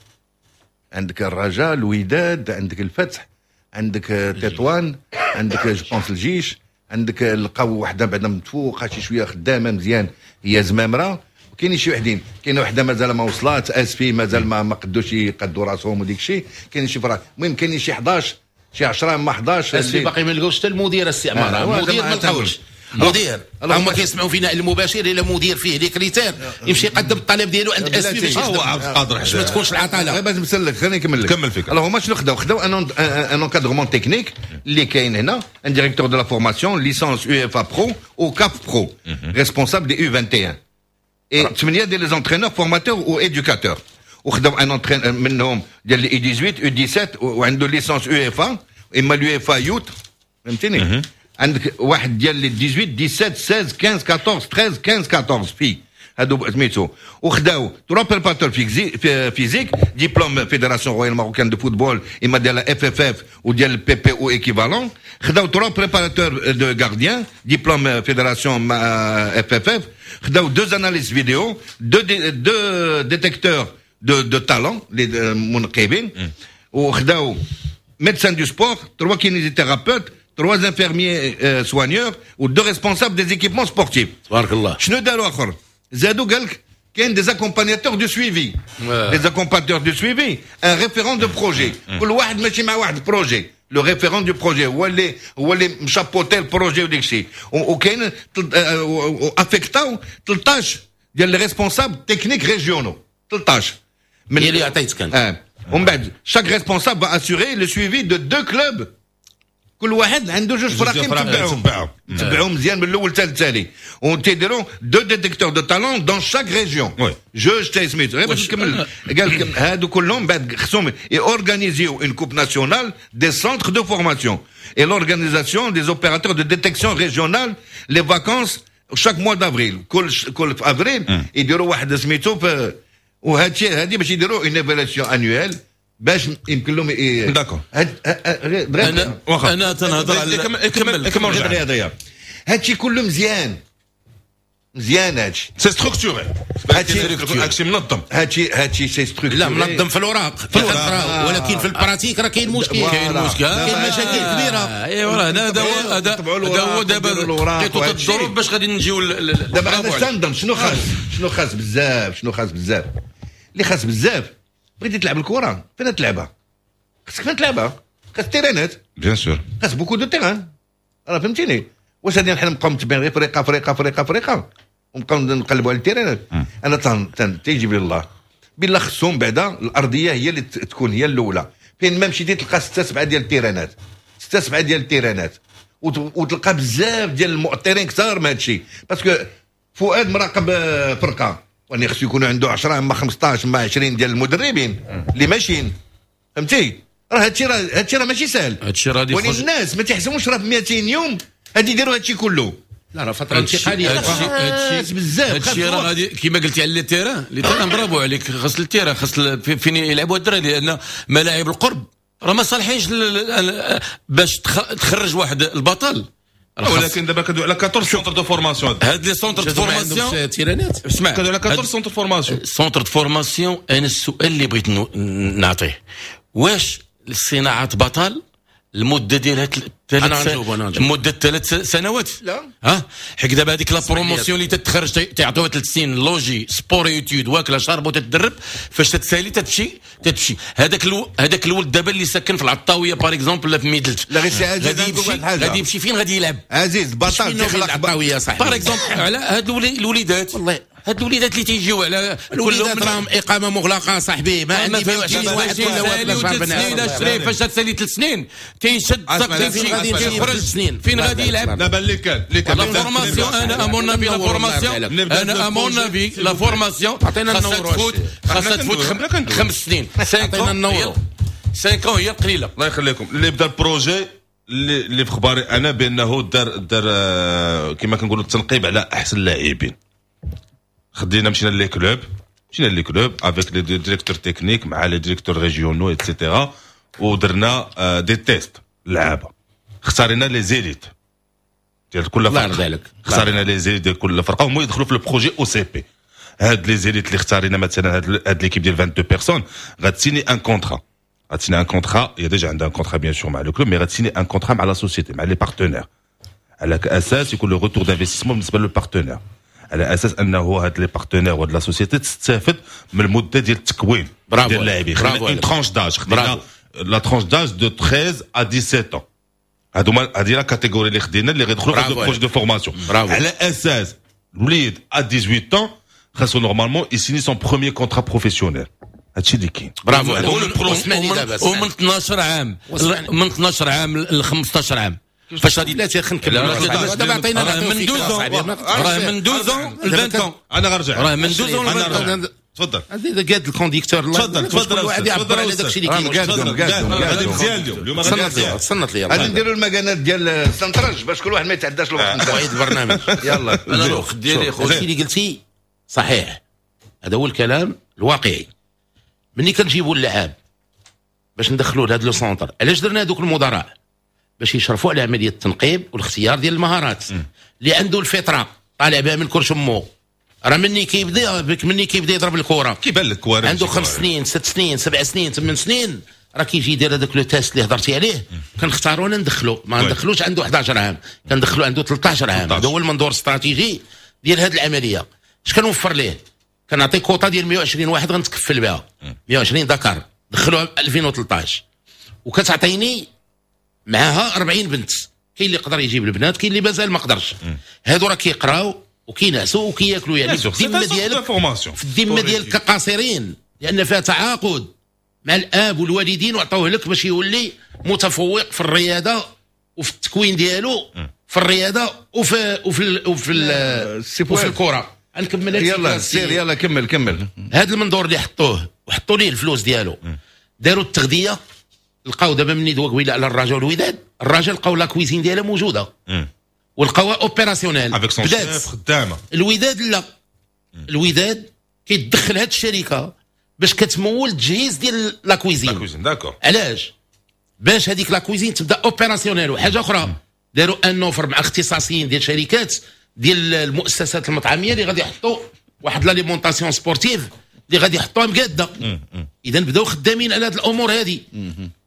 عندك الرجاء، الوداد، عندك الفتح، عندك تطوان، عندك je pense الجيش، عندك لقاو وحده بعدا متفوقه شي شوية خدامه مزيان هي زمامره، وكاينين شي وحدين، كاينه وحده مازال ما وصلات اسفي، مازال ما ما قدوش يقدوا راسهم وديك الشيء. كاين شي فراق، المهم كاينين شي حداش، شي عشرة ما حداش. اسفي باقي ما لقاوش حتى المدير السي عمار، آه المدير ما لقاوش مدير. هما كيسمعوا فينا المباشر، الا مدير فيه les critères يمشي يقدم الطلب ديالو عند اسفي باش هو عبد القادر. باش ما تكونش العطاله. غير باش نسلك، خليني نكمل لك. كمل فيك. alors هما شنو خداو؟ خداو un un encadrement technique اللي كاين هنا، un directeur de la formation licence UEFA Pro ou CAF Pro، responsable des U واحد وعشرين et ثمانية ديال les entraîneurs formateurs ou éducateurs، وخداو un entraîneur منهم ديال les U ثمنطاش U سبعطاش وعنده licence UEFA اما l'UEFA Youth، فهمتيني؟ عندك واحد ديال les ثمنطاش سبعطاش ستاش خمسطاش أربعطاش ثلاطاش خمسطاش أربعطاش في هادو سميتو. وخداو trois préparateurs physiques، diplôme Fédération royale marocaine de football اما ديال FFF وديال PP ou équivalent. خداو trois préparateurs de gardiens، diplôme fédération FFF. خداو deux analystes vidéo، deux deux détecteurs de de talents les منقبين، وخداو médecin du sport، trois kinésithérapeutes، trois infirmiers euh, soigneurs ou deux responsables des équipements sportifs. تبارك الله. شنو داروا اخر؟ زادوا قال لك كاين des accompagnateurs de suivi. Les accompagnateurs de suivi, un référent de projet. كل واحد ماشي مع واحد projet. le référent du projet هو اللي هو اللي مشابوتي ال projet وديك الشيء. وكاين affectاو ثلاثطاش ديال les responsables techniques régionaux، ثلاثطاش. من اللي عطيتك انت. اه ومن بعد chaque responsable va assurer le suivi de deux clubs، كل واحد عنده جوج فراقي متبعهم تبعهم مزيان من الاول حتى التالي، وتيديروا deux détecteurs de talents dans chaque région، جوج تاع سميتو. غير باش نكمل، قال لك هادو كلهم بعد خصهم يورغانيزيو une coupe nationale des centres de formation et l'organisation des opérateurs de détection régionale، les vacances chaque mois d'avril، كل كل في افريل يديروا واحد سميتو. وهادشي هادي باش يديروا une évaluation annuelle باش يمكن لهم. d'accord. انا انا تنهضر على كمل كمل. الرياضيه، هادشي كله مزيان مزيان هادشي. c'est structuré، هادشي هادشي منظم. هادشي هادشي c'est structuré. لا، منظم في الاوراق في الاوراق، ولكن في ال pratique راه كاين مشكل. كاين مشكل. كاين مشاكل كبيره. ايوا راه هذا هو هذا هو دابا لقيتو الظروف باش غادي نجيو. دابا انا تنظن شنو خاص، شنو خاص بزاف، شنو خاص بزاف، اللي خاص بزاف، بغيتي تلعب الكره فين تلعبها؟ خاصك فين تلعبها؟ خاص تيرانات. bien sûr. خاص beaucoup de terrains، راه فهمتيني؟ واش غادي حنا نبقاو متبعين غير فريقه فريقه فريقه فريقه ونبقاو نقلبوا على التيرانات؟ انا تن تيجيب لي الله بالله خصهم بعدا الارضية هي اللي تكون هي الاولى. فين ما مشيتي تلقى ستة سبعة ديال التيرانات، ستة سبعة ديال التيرانات، وتلقى بزاف ديال المؤطرين كثار من هادشي، parce que فؤاد مراقب فرقه واني خصو يكونوا عنده عشرة اما خمسطاش اما عشرين ديال المدربين اللي ماشيين، فهمتي؟ راه هادشي راه هادشي راه ماشي سهل. هادشي راه غادي ولكن الناس ما تيحسبوش راه في ميتين يوم غادي يديروا هادشي كله. لا، راه فترة انتقاليه. هادشي هادشي بزاف. هادشي راه غادي كيما قلتي على les terrains، les terrains، برافو عليك، خاص ال terrain، خاص فين يلعبوا الدراري، لان ملاعب القرب راه ما صالحينش باش تخرج واحد البطل. ولكن دابا كندوي على أربعطاش centres de formation. هاد les centres de formation تيرانات. اسمع. كندوي على أربعطاش centres formation. centres de formation، انا السؤال اللي بغيت نعطيه، واش صناعة بطل المدة ديالها ثلاث مده ثلاث سنوات؟ لا. ها حيت دابا هذيك la promotion اللي تتخرج تعطوها ثلاث سنين logé، sport études، واكله شاربه وتتدرب، فاش تتسالي تتمشي تتمشي هذاك الو... هذاك الولد دابا اللي ساكن في العطاويه par exemple ولا في ميدلت، لا غير سي عزيز، غادي يمشي غادي يمشي فين غادي يلعب؟ عزيز، بطل تخلق العطاويه صاحبي. par exemple على هاد الوليدات، والله هاد الوليدات اللي تيجيو على الوليدات راهم اقامه مغلقة صاحبي، ما عندي ميتين واحد ولا واحد. ثلاث سنين الشريف، فاش تسالي ثلاث سنين تيشد فين غادي يخرج؟ سنين فين غادي يلعب؟ دابا اللي كان اللي كان la formation، انا à mon avis la formation، انا à mon avis la formation عطينا خاصها تفوت خاصها تفوت خمس سنين. عطينا النور. cinq ans هي القليلة. الله يخليكم، اللي بدا ال projet اللي اللي في خباري انا بانه دار دار آه، كما كنقولوا التنقيب على احسن اللاعبين. خدينا مشينا les clubs، مشينا les clubs avec les directeurs techniques مع les directeurs régionaux et cetera، ودرنا آه، des tests لعابه، اختارينا les élites ديال كل الله فرقه. يرضي عليك. اختارينا les élites ديال كل فرقه، هما يدخلوا في ال projet OCP. هاد les élites اللي اختارينا، مثلا هاد هاد l'équipe ديال اثنين وعشرين personnes غتسيني un contrat، غتسيني un contrat، هي déjà عندها un contrat bien sûr مع le club، mais غتسيني un contrat مع la société، مع les partenaires، على اساس يكون le retour d'investissement بالنسبة le partenaire، على اساس انه هاد les partenaires وهاد la société تستافد من المدة ديال التكوين برافو ديال اللاعبين. برافو خدينا une tranche d'âge، خدينا la tranche d'âge de treize à dix-sept ans. هادو هادي la catégorie اللي خدينا اللي غيدخلوا في le projet de formation. برافو. على اساس الوليد à dix-huit ans خاصو normalement يسيني son premier contrat professionnel. هادشي اللي كاين. برافو. ومن ومن اثنا عشر عام، من اثنا عشر عام ل خمسطاش عام فاش غادي لا خلينا نكمل. دابا عطينا من douze، راه من douze ل عشرين. انا غنرجع. راه من douze ل عشرين. تفضل. قاد ال conducteur. تفضل تفضل. واحد يعبر على داك الشيء اللي كاين. غادي مزيان اليوم، اليوم غادي مزيان. تصنت لي. غادي نديروا المكانات ديال السنتراج باش كل واحد ما يتعداش الوقت. وعيد البرنامج. يلا. انا الوقت ديالي خويا. الشيء اللي قلتي صحيح، هذا هو الكلام الواقعي. ملي كنجيبوا اللعاب باش ندخلوا لهذا le centre، علاش درنا هذوك المدراء؟ باش يشرفوا على عملية التنقيب والاختيار ديال المهارات. اللي عنده الفطرة طالع بها من كرش امو، راه مني كيبدا بك، مني كيبدا يضرب الكره كيبان لك. عنده خمس سنين، ست سنين، سبع سنين، ثمان سنين، راه كيجي يدير هذاك le test اللي هضرتي عليه، كنختاروا ندخلو. ما ندخلوش عنده حداش عام، كندخلو عنده ثلاثة عشر عام. هذا هو المنظور الاستراتيجي ديال هذه العمليه. اش كنوفر ليه؟ كنعطي كوطا ديال مية وعشرين واحد غنتكفل بها، مية وعشرين ذكر دخلوها ألفين وثلاثة عشر، وكتعطيني معاها أربعين بنت. كاين اللي يقدر يجيب البنات، كاين اللي مازال ما قدرش. هادو راه كيقراو وكينعسوا وكياكلوا، يعني في الذمة ديالك، في الذمة ديالك كقاصرين، لان فيها تعاقد مع الاب والوالدين وعطوه لك باش يولي متفوق في الرياضة وفي التكوين ديالو في الرياضة وفي وفي وفي وفي الكره. نكمل. يلا سير، يلا كمل كمل. هذا المنظور اللي حطوه وحطوا ليه الفلوس ديالو، داروا التغذيه، لقاو دابا مني دوا قبيلة على الرجاء والوداد، الرجاء لقاو la cuisine ديالها موجودة ولقاوها opérationnelle. بدات خدامه. الوداد لا، الوداد كيدخل هاد الشركة باش كتمول التجهيز ديال la cuisine. la cuisine، d'accord. علاش؟ باش هذيك la cuisine تبدا opérationnelle. وحاجه اخرى، داروا une offre مع اختصاصيين ديال شركات ديال المؤسسات المطعميه اللي غادي يحطوا واحد l'alimentation sportive اللي غادي يحطوها مقاده. اذا بداو خدامين على هذه الامور هذه.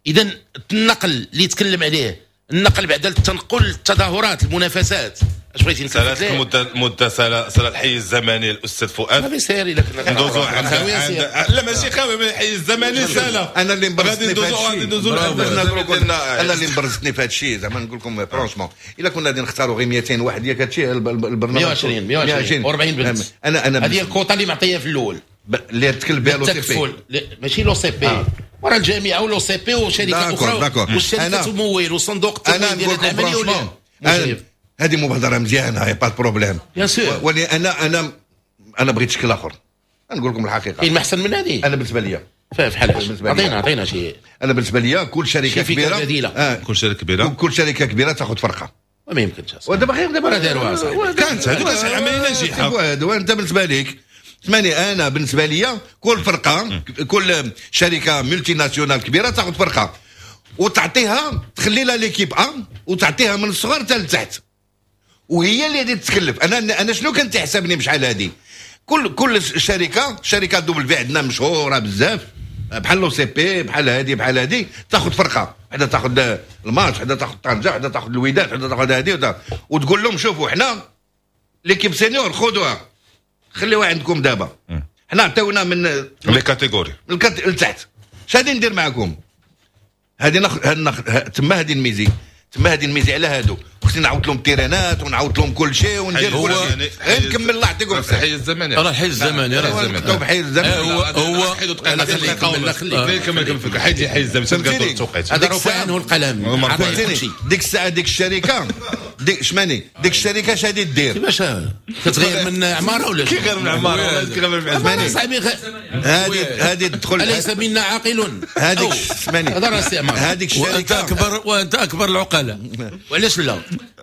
اذا النقل اللي يتكلم عليه، النقل بعد التنقل، التظاهرات، المنافسات، اش بغيتي؟ سالات المدة، المدة سالا، سالا الحيز الزمني الاستاذ فؤاد. صافي سير الا كنا ندوزو عند، لا ماشي خاوي، الحيز الزمني سالا. انا اللي غادي مبرزتني في ندوزو غادي هذا ندوزو الشيء، انا اللي مبرزتني في هذا الشيء، زعما نقول لكم franchement، الا كنا غادي نختاروا غير ميتين واحد ياك هادشي البرنامج. مية وعشرين، مية وعشرين وأربعين بنت. انا انا هذه الكوطه اللي معطيه في الاول. اللي تكلف بها l'OCP. التكفل ماشي l'OCP، ورا الجامعة و l'OCP وشركه اخرى، والشركة تمول وصندوق التمويل ديال العمليه. هذه مبادرة مزيانه، y a pas de problème. bien sûr. ولي انا انا انا بغيت شكل اخر، نقول لكم الحقيقه. كاين ما احسن من هذه؟ انا بالنسبة لي في حال عطينا عطينا شي. انا بالنسبة لي كل شركة كبيره بديله. آه كل شركة كبيره. كل شركة كبيرة تاخذ فرقه. ما يمكنش. ودابا غير دابا راه داروها صاحبي. كانت هذه كانت عملية ناجحه. وانت بالنسبة لك، اسمعني، انا بالنسبة لي كل فرقه، كل شركة multinationale كبيرة تاخذ فرقه وتعطيها، تخلي لها l'équipe A وتعطيها من الصغر حتى لتحت، وهي اللي غادي تتكلف. انا انا شنو كنت تحسبني بشحال هادي، كل كل شركه، شركة W عندنا مشهورة بزاف بحال l'OCP، بحال هادي بحال هادي، تاخذ فرقه وحده، تاخذ الماتش وحده، تاخذ طنجه وحده، تاخذ الوداد وحده، تاخذ هادي، وتقول لهم شوفوا حنا l'équipe senior خذوها خليوها عندكم، دابا حنا عطيونا من les catégories لتحت، اش غادي ندير معكم؟ هادي نخ... نخ... تما هادي نميزي، تما هادي نميزي على هادو. خصني نعاود لهم التيرانات ونعاود لهم كل شيء وندير كل شيء، غير نكمل الله يعطيكم الصحة. الحي الزمني راه الحي الزمني، راه الزمني بحي الزمني. هو هو خليك كمل كمل حيد حي الزمني تنقدر التوقيت. هذا رفع عنه القلم. ديك الساعة ديك الشركة ديك شماني ديك الشركة اش غادي دير؟ كيفاش كتغير من عمارة ولا كيغير من عمارة؟ كيغير من عمارة صاحبي. هذه هذه تدخل اليس منا عاقل؟ هذيك شماني هذا راه استعمار. هذيك الشركة وانت اكبر وانت اكبر العقلاء. وعلاش لا؟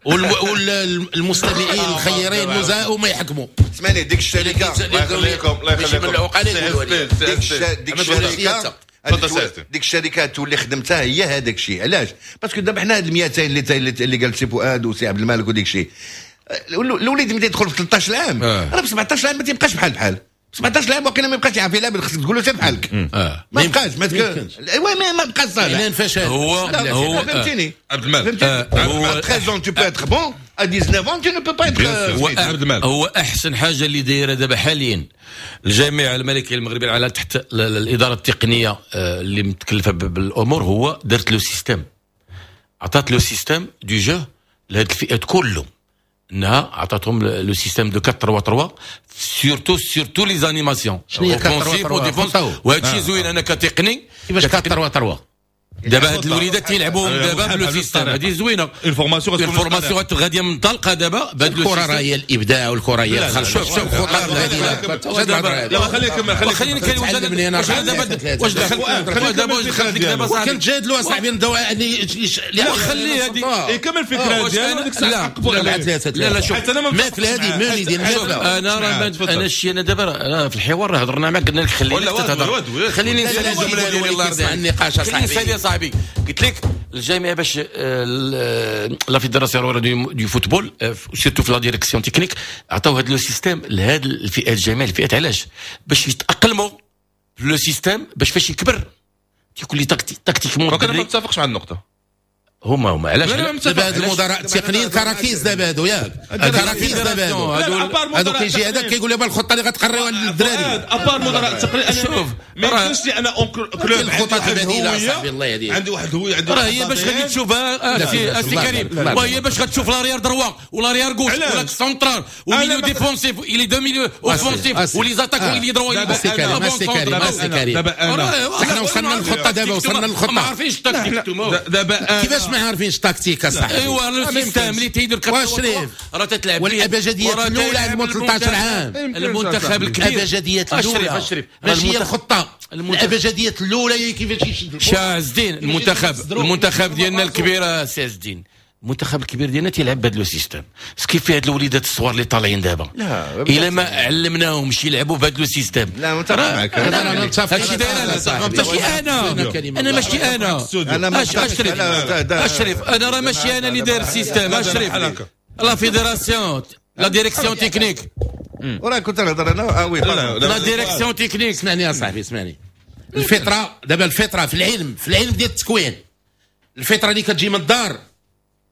والمستمعين الخيرين نزهاء وما يحكموا. اسمعني ديك الشركة الله يخليكم الله يخليكم ديك الشركة ديك الشركة تولي خدمتها هي هذاك الشيء. علاش؟ parce que دابا حنا هاد المئتين اللي اللي قال سي فؤاد وسي عبد الملك وديك الشيء، الوليد ملي يدخل في ثلاثة عشر عام راه ب سبعة عشر عام ما تيبقاش بحال بحال سبعة عشر عام واقيلا ما يبقاش يعرف يلعب، خصك تقول له سير بحالك. آه. ما بقاش ما ايوا ما بقاش صالح. فشل هو هو فهمتيني عبد الملك. هو treize ans tu peux être bon، à dix-neuf ans tu ne peux pas être. هو عبد الملك هو احسن حاجة اللي دايرة دابا حاليا الجامعة الملكية المغربية على تحت الادارة التقنية اللي متكلفه بالامور، هو دارت le système، عطات le système de jeu لهاد الفئات كلهم، انها عطاتهم le système de أربعة ثلاثة ثلاثة surtout surtout les animations شنو هي أربعة ثلاثة ثلاثة؟ وهذا الشيء زوين. انا كتقني كيفاش أربعة ثلاثة ثلاثة؟ دابا هاد الوليدات تيلعبوهم دابا ب le système، هذه زوينة. ال formation ال formation غادية منطلقة دابا بهاد الكره، راه هي الابداع والكره هي الخلق. شوف شوف خطط لا خليك كمل، خليك خليني نتكلم. واش دابا واش دخل دابا واش دخلت لك دابا صاحبي؟ كنتجادلوا اصاحبي نبداو خلي هذه يكمل الفكرة ديالو ديك الساعة. لا لا شوف ماكله هذه مالي ديال الماكلة. انا راه انا الشيء انا دابا في الحوار هضرنا معاك قلنا لك خليني تهضر، خليني نسالي الجملة ديالي الله يرضي عليك. النقاش اصاحبي صاحبي قلت لك الجامعة باش la fédération du football surtout في la direction technique عطاو هذا le système لهاد الفئات، جميع الفئات. علاش؟ باش يتاقلموا في le système، باش فاش يكبر تيكون لي tactiquement. انا ما متفقش مع النقطة. هما هما علاش دابا هاد المدراء التقنيين كراكيز دابا هادو، ياك كراكيز دابا هادو هادو كيجي هذاك كيقول لي الخطة اللي غتقريوها للدراري. à part مدراء التقنيين شوف ما يمكنش لي انا un club الخطط البديلة صاحبي الله يهديك. عندي واحد الهوية عندي راه هي باش غادي تشوفها السي كريم، وهي باش غتشوف l'arrière droit و l'arrière gauche ولا central و milieu défensif les deux milieux offensifs و les attaquants ailier droit. سي كريم سي كريم سي كريم، حنا وصلنا للخطه دابا، وصلنا للخطه. ما عارفينش التكتيك دابا. كيفاش ما عارفينش التكتيك اصاحبي؟ ايوا le système اللي تيدير واشريف راه تتلعب والابجديات الاولى عند ثلاثة عشر عام المنتخب الكبير الابجديات الاولى ماشي هي الخطة، الابجديات الاولى هي كيفاش يشد شاه الدين المنتخب المنتخب ديالنا الكبير سي الدين، المنتخب الكبير ديالنا تيلعب بهذا le système. ce qui fait هاد الوليدات الصغار اللي طالعين دابا الا ما علمناهمش يلعبوا بهذا le système. لا متفق معك انا متفق. هادشي داير ماشي انا انا ماشي انا انا اشرف اشرف انا راه ماشي انا اللي داير ال système اشرف، la fédération la direction technique. وراه كنت نهضر انا اه oui la direction technique. اسمعني يا صاحبي اسمعني. الفطرة دابا، الفطرة في العلم، في العلم ديال التكوين، الفطرة اللي كتجي من الدار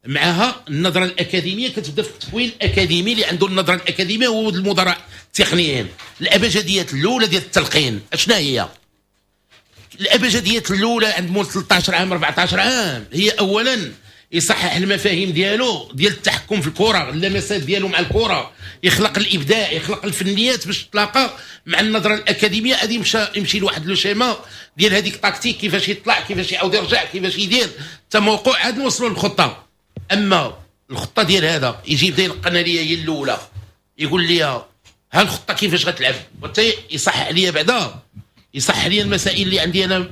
معها النظرة الاكاديمية كتبدا في التكوين الاكاديمي. اللي عنده النظرة الاكاديمية هو المدراء التقنيين. الابجديات الاولى ديال التلقين اشنا هي؟ الابجديات الاولى عند مول ثلاثة عشر عام أربعة عشر عام هي اولا يصحح المفاهيم ديالو ديال التحكم في الكره، اللمسات ديالو مع الكره، يخلق الابداع، يخلق الفنيات باش تلاقى مع النظرة الاكاديمية. غادي يمشى يمشي لواحد le schéma ديال هذيك tactique، كيفاش يطلع، كيفاش يعاود يرجع، كيفاش يدير التموقع، عاد نوصلوا للخطه. اما الخطة ديال هذا يجي يبدا يلقن ليا هي الاولى، يقول لي ها الخطة كيفاش غتلعب، وانت يصحح لي بعدا، يصحح لي المسائل اللي عندي انا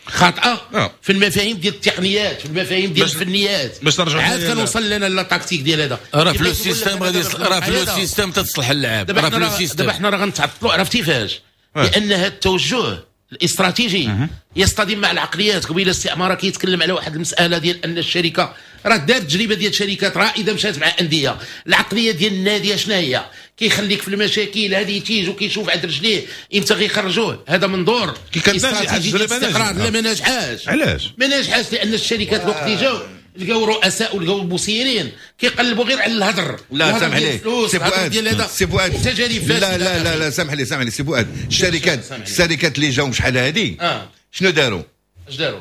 خاطئه آه. في المفاهيم ديال التقنيات، في المفاهيم ديال باش- الفنيات، باش نرجعوا عاد ثاني كنوصل لنا la tactique ديال هذا. راه في le كيفاش يقول لك système أنا غادي دابا راه في le هذا. système تتصلح اللعاب دابا راه في حنا le راه- système. دابا حنا راه غنتعطلوا، عرفتي فاش؟ لان هذا التوجه الاستراتيجي يصطدم مع العقليات. قبيلة الاستعمار كيتكلم على واحد المسالة ديال ان الشركة راه دارت تجربه ديال شركات رائدة مشات مع اندية. العقلية ديال النادي شنو هي؟ كيخليك في المشاكل هذه تيجي وكيشوف عند رجليه امتى غيخرجوه. هذا منظور كي كانت ناجحة استراتيجي ديال التجربة الاستقرار. ناجحة. لا ما ناجحاش. علاش؟ ما ناجحاش لان الشركات الوقت اللي جاو لقاو رؤساء ولقاو مسيرين كيقلبوا غير على الهدر. لا الهدر سامح ديال لي الفلوس، سي الهدر فؤاد ديال هذا. سي فؤاد تجارب فاسدة. لا لا لا لا سامح لي سامح لي سي فؤاد، الشركات سامح لي. الشركات اللي جاو شحال هادي اه شنو داروا؟ اش داروا؟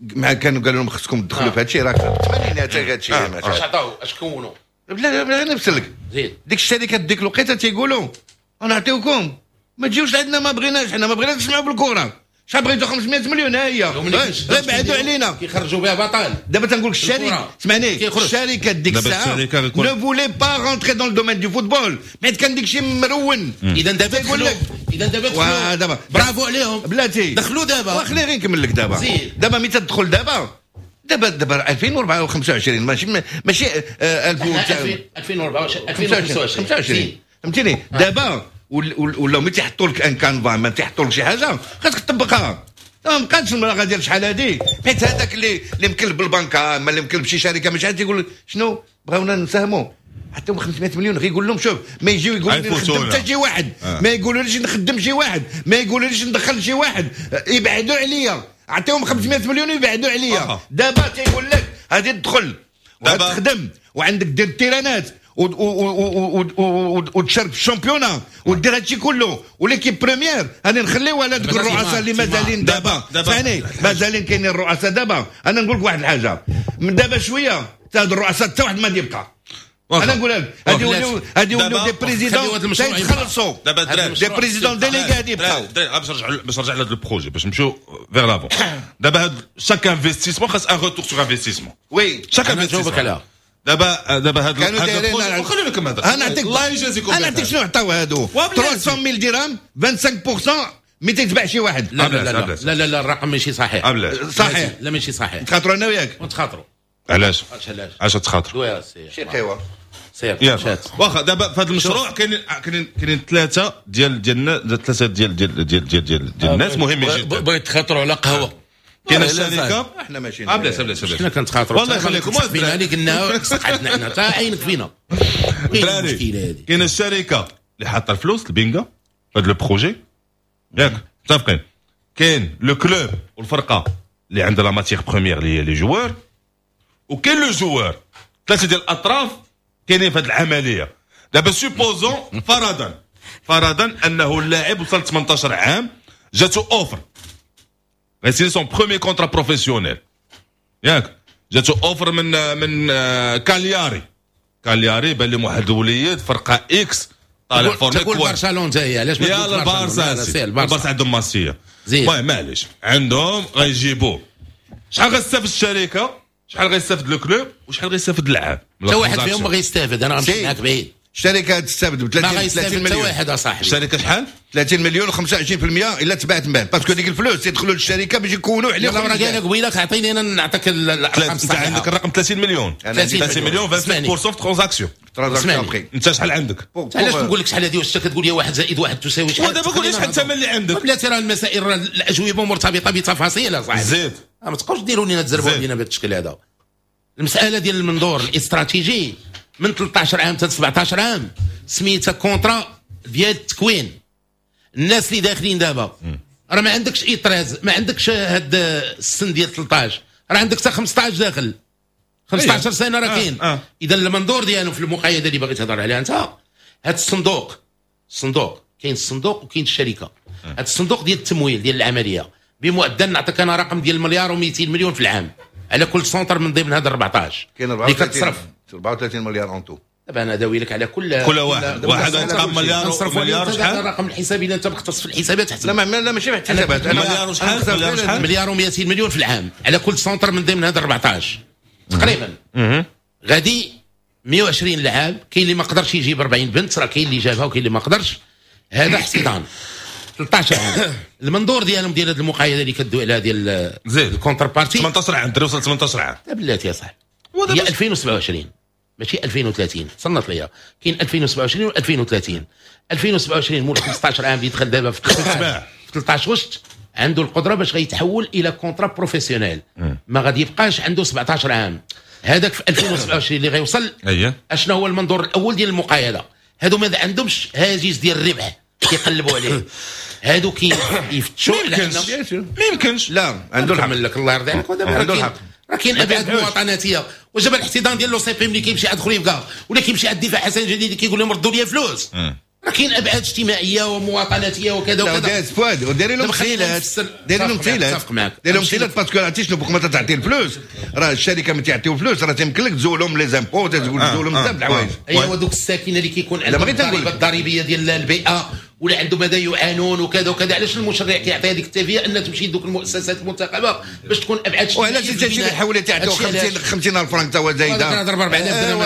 مع كانوا قالوا لهم خصكم تدخلوا في هذا الشيء، راه في الثمانينات هذا الشيء. اش عطاو؟ اش كونوا؟ بلا بلا نفسلك. زيد. ديك الشركات ديك الوقيته تيقولوا نعطيوكم، ما تجيوش عندنا، ما بغيناش، حنا ما بغيناش نسمعوا بالكرة. شحال بغيتو؟ خمسمية مليون ها هي، غير بعدوا علينا. كيخرجوا بها بطل. دابا تنقول لك الشركة، اسمعني، الشركة ديك الساعة ne voulait pas rentrer dans le domaine du football، حيت كان ديك الشيء مرون. اذا دابا يقول لك، اذا دابا دخلوا، دابا برافو عليهم، بلاتي دخلوا دابا. وخلي غير نكمل لك دابا. دابا ملي تدخل دابا دابا دابا ألفين وأربعة وخمسة وعشرين، ماشي ماشي ألفين وأربعة وعشرين ألفين وخمسة وعشرين، فهمتيني؟ دابا ولا ملي تيحطوا لك un canevas، ما تيحطوا لك شي حاجة خاصك تطبقها. ما بقاتش المراغه ديال شحال هادي، حيت هذاك اللي اللي مكلف بالبنكه، ما اللي مكلف بشي شركة، ماشي عاد تيقول شنو بغاونا نساهموا حتى خمسمية مليون، غير يقول لهم شوف، ما يجيو يقولوا لي نخدم حتى شي واحد، آه. ما يقولوا ليش نخدم شي واحد، ما يقولوا ليش ندخل شي واحد، يبعدوا عليا، عطيهم خمسمية مليون ويبعدوا عليا. آه. دابا تيقول لك غادي تدخل وتخدم وعندك دير التيرانات وتشارك في ال championnat ودير هادشي كله، و l'équipe première غادي نخليوها على دوك الرؤساء اللي مازالين دابا، ثاني مازالين كاينين الرؤساء دابا. انا نقول لك واحد الحاجة، من دابا شوية حتى هاد الرؤساء حتى واحد ما يبقى. انا نقول لك هادي يوليو هادي يوليو des présidents تيتخلصوا، des présidents délégués غادي يبقاو. باش نرجع باش نرجع لهاد ال projet، باش نمشيو vers l'avant. دابا هاد chaque investissement خاص un retour sur investissement. oui chaque investissement. دابا دابا هاد هاد خلينا نكمل هذا. انا نعطيك الله يجازيكم، انا نعطيك شنو عطاو هادو ثلاثمية ألف درهم خمسة وعشرين بالمية ملي تيتباع شي واحد. لا لا لا لا لا لا، الرقم ماشي صحيح. صحيح. لا ماشي صحيح. نتخاطروا انا وياك. ونتخاطروا. علاش؟ علاش؟ علاش تخاطروا؟ شي قهوة سير مشات. واخا دابا في هذا المشروع كاينين كاينين كاينين ثلاثة ديال ديال ثلاثة ديال ديال ديال ديال ديال, ديال الناس مهمين جدا. بغيت تخاطروا على قهوة. كاين الشركة احنا ماشيين. بلاش بلاش بلاش حنا كنتخاطروا. والله يخليكم فينا اللي قلنا صحتنا حنا تا عينك فينا. دراري كاين الشركة اللي حاطه الفلوس البينغا في هذا le projet، ياك متفقين؟ كاين le club والفرقة اللي عندها la matière première اللي هي les joueurs، وكاين le joueur. ثلاثة ديال الاطراف كاينين في هذه العملية. دابا supposons فرضا فرضا انه اللاعب وصل ثمنطاش عام، جاتو offre، غيسيني son premier contrat professionnel، ياك؟ جاتو offre من من كالياري. كالياري بان لهم واحد الوليد فرقه X طالع formé. تقول برشلونة هي علاش؟ ما يلا البارسا، البارسا عندهم ماسيه. المهم معليش عندهم غيجيبوه. شحال غتستافد الشركة؟ شحال غيستافد le club؟ وشحال غيستافد اللاعب؟ حتى واحد فيهم ما غيستافد. انا غنمشي معاك بعيد. الشركة تستافد ب ثلاثين ثلاثين مليون. حتى واحد اصاحبي. الشركة شحال؟ ثلاثين مليون وخمسة وعشرين في المية الا تباعت من بعد، parce que ديك الفلوس يدخلوا للشركة باش يكونوا عليهم. راه قال لك قبيلة عطيني انا نعطيك الارقام. انت عندك الرقم ثلاثين مليون؟ ثلاثين مليون خمسة وعشرين في المية في transaction. transaction. انت شحال عندك؟ علاش نقول لك شحال هذه؟ واش كتقول لي واحد زائد واحد تساوي شحال؟ ودابا قول لي شحال الثمن اللي عندك. بلاتي، راه المسائل راه الاجوبة مرتبطة بتفاصيل اصاحبي. زيد. ما تبقاوش ديروا لنا تزربوا علينا بهذا الشكل هذا. المسالة ديال المنظور الاستراتيجي من ثلاثطاش عام حتى سبعطاش عام سميتها contrat ديال التكوين. الناس اللي داخلين دابا راه ما عندكش اي treize، ما عندكش هاد السن ديال ثلاثطاش، راه عندك حتى خمسطاش داخل، خمسطاش سنة راه كاين. آه. آه. اذا المنظور ديالو في المقايضة اللي باغي تهضر عليها انت، هاد الصندوق، الصندوق كاين، الصندوق وكاين الشركة. هاد الصندوق ديال التمويل ديال العملية بمعدل، نعطيك انا رقم ديال مليار ومئتين مليون في العام على كل centre من ضمن هاد أربعطاش. كاين اللي كتصرف. أربعة وثلاثين مليار en tout. دابا انا داوي لك على كل كل واحد واحد غيتقام مليار. مليار شحال الرقم الحسابي؟ الا انت مختص في الحسابات حسب. لا ما لا ماشي في الحسابات. انا مليار وشحال؟ مليار وشحال؟ مليار ومئتين مليون في العام على كل centre من ضمن هاد أربعطاش تقريبا. غادي مية وعشرين لعاب، كاين اللي ما قدرش يجيب أربعين بنت، راه كاين اللي جابها وكاين اللي ما قدرش. هذا احتضان ثلاثطاش عام. المنظور ديالهم ديال هذه المقايضة اللي كدوي عليها ديال زيد ال contrepartie. ثمنطاش عام، الدري وصل ثمنطاش عام. بلاتي يا صاحبي، هي ألفين وسبعة وعشرين ماشي ألفين وثلاثين. صنت ليا، كاين ألفين وسبعة وعشرين و ألفين وثلاثين. ألفين وسبعة وعشرين مول خمسطاش عام اللي دخل دابا في ثلاثطاش في ثلاثطاش غشت عنده القدرة باش غيتحول الى contrat professionnel، ما غادي يبقاش عنده سبعطاش عام. هذاك في ألفين وسبعة وعشرين اللي غيوصل. اييه اشنو هو المنظور الاول ديال المقايضه؟ هادو ما عندهمش هاجس ديال الربح كيقلبوا عليه، هادو كيفتشوا. ما يمكنش، ما يمكنش. لا عنده الحق. لك الله يرضي عليك. ودابا عنده الحق. راه كاين ابعاد مواطناتيه. وجب الاحتضان ديال l'OCP ملي كيمشي عند خريبكا ولا كيمشي عند الدفاع حسن جديد كيقول لهم ردوا لي فلوس. راه كاين ابعاد اجتماعية ومواطناتيه وكذا وكذا. داز فؤاد وديري لهم تسهيلات، ديري لهم تسهيلات، ديري لهم تسهيلات parce que عرفتي شنو بوك ما تعطي الفلوس، راه الشركة ما تيعطيو فلوس، راه تيمكن لك تزولهم les impôts، تزولهم بزاف د الحوايج. ايوا دوك الساكنة اللي كيكون عندهم الضريبة الضريبية ديال البيئة ولا عندهم ماذا يعانون وكذا وكذا، علاش المشرع كيعطي هذيك التافيه ان تمشي لدوك المؤسسات المنتخبه باش تكون ابعاد؟ وعلاش انت تجي حولي تعطيو خمسين خمسين الف فرنك تا هو زايدة؟ كنهضر ب أربعة آلاف درهم.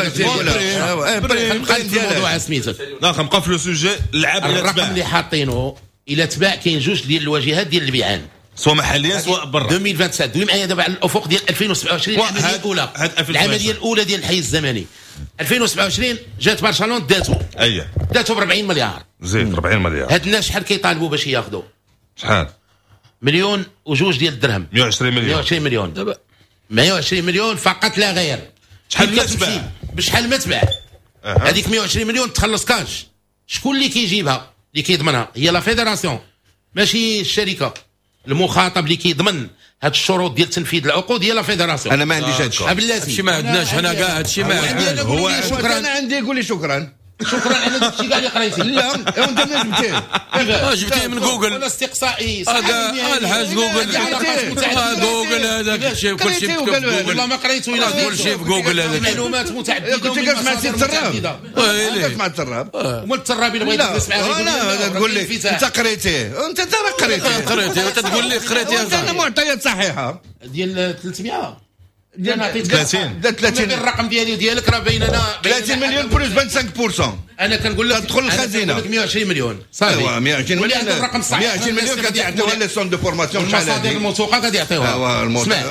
نبقى في الموضوع سميتك، لا نبقى في le sujet. العاب الرقم اللي حاطينه الى تباع كاين جوج ديال الواجهات ديال البيعان، سواء محليا سواء برا. ألفين وسبعة وعشرين دوي معايا دابا على الافق ديال ألفين وسبعة وعشرين، العملية الاولى، العملية الاولى ديال الحي الزمني ألفين وسبعة وعشرين جات برشلونة داتو، اييه داتو ب أربعين مليار، زيد أربعين مليار. هاد الناس شحال كيطالبوا باش ياخذوا؟ شحال؟ مليون وجوج ديال الدرهم، مية وعشرين مليون، مية وعشرين مليون دابا، مية وعشرين مليون فقط لا غير. شحال ما تباع؟ بشحال ما تباع هذيك مية وعشرين مليون تخلص كاش. شكون اللي كيجيبها؟ اللي كيضمنها هي la fédération، ماشي الشركة. المخاطب اللي كيضمن هاد الشروط ديال تنفيذ العقود هي la fédération. انا ما عنديش هادشي، هادشي ما عندناش حنا كاع، هادشي ما عندناش. هو شكرا، انا عندي قول لي شكرا، شكرا على داك الشيء كاع اللي قريتي. لا وانت منين جبتيه؟ جبتيه من جوجل. ولا استقصائي. اه الحاج جوجل، جوجل هذاك الشيء كلشي مكتوب في جوجل. والله ما قريته الا كلشي في جوجل، هذاك معلومات متعددة. كنت جالس مع السيد التراب، جالس مع التراب، هما التراب اللي بغيت تجلس معاه. لا تقول لي انت قريتيه، انت راه قريتيه، قريتيه وانت تقول لي قريتيه. انا معطيات صحيحه ديال ثلاثمية، ديال ثلاثين، ثلاثين الرقم ديالي وديالك راه بيننا ثلاثين مليون plus خمسة وعشرين بالمية. انا كنقول لك تدخل الخزينة، كنقول لك مية وعشرين مليون صافي. ايوا مية وعشرين مليون الرقم الصحيح. مية وعشرين مليون كتعطيوها les centres de formation. شحال المصادر الموثوقة غادي يعطيوها.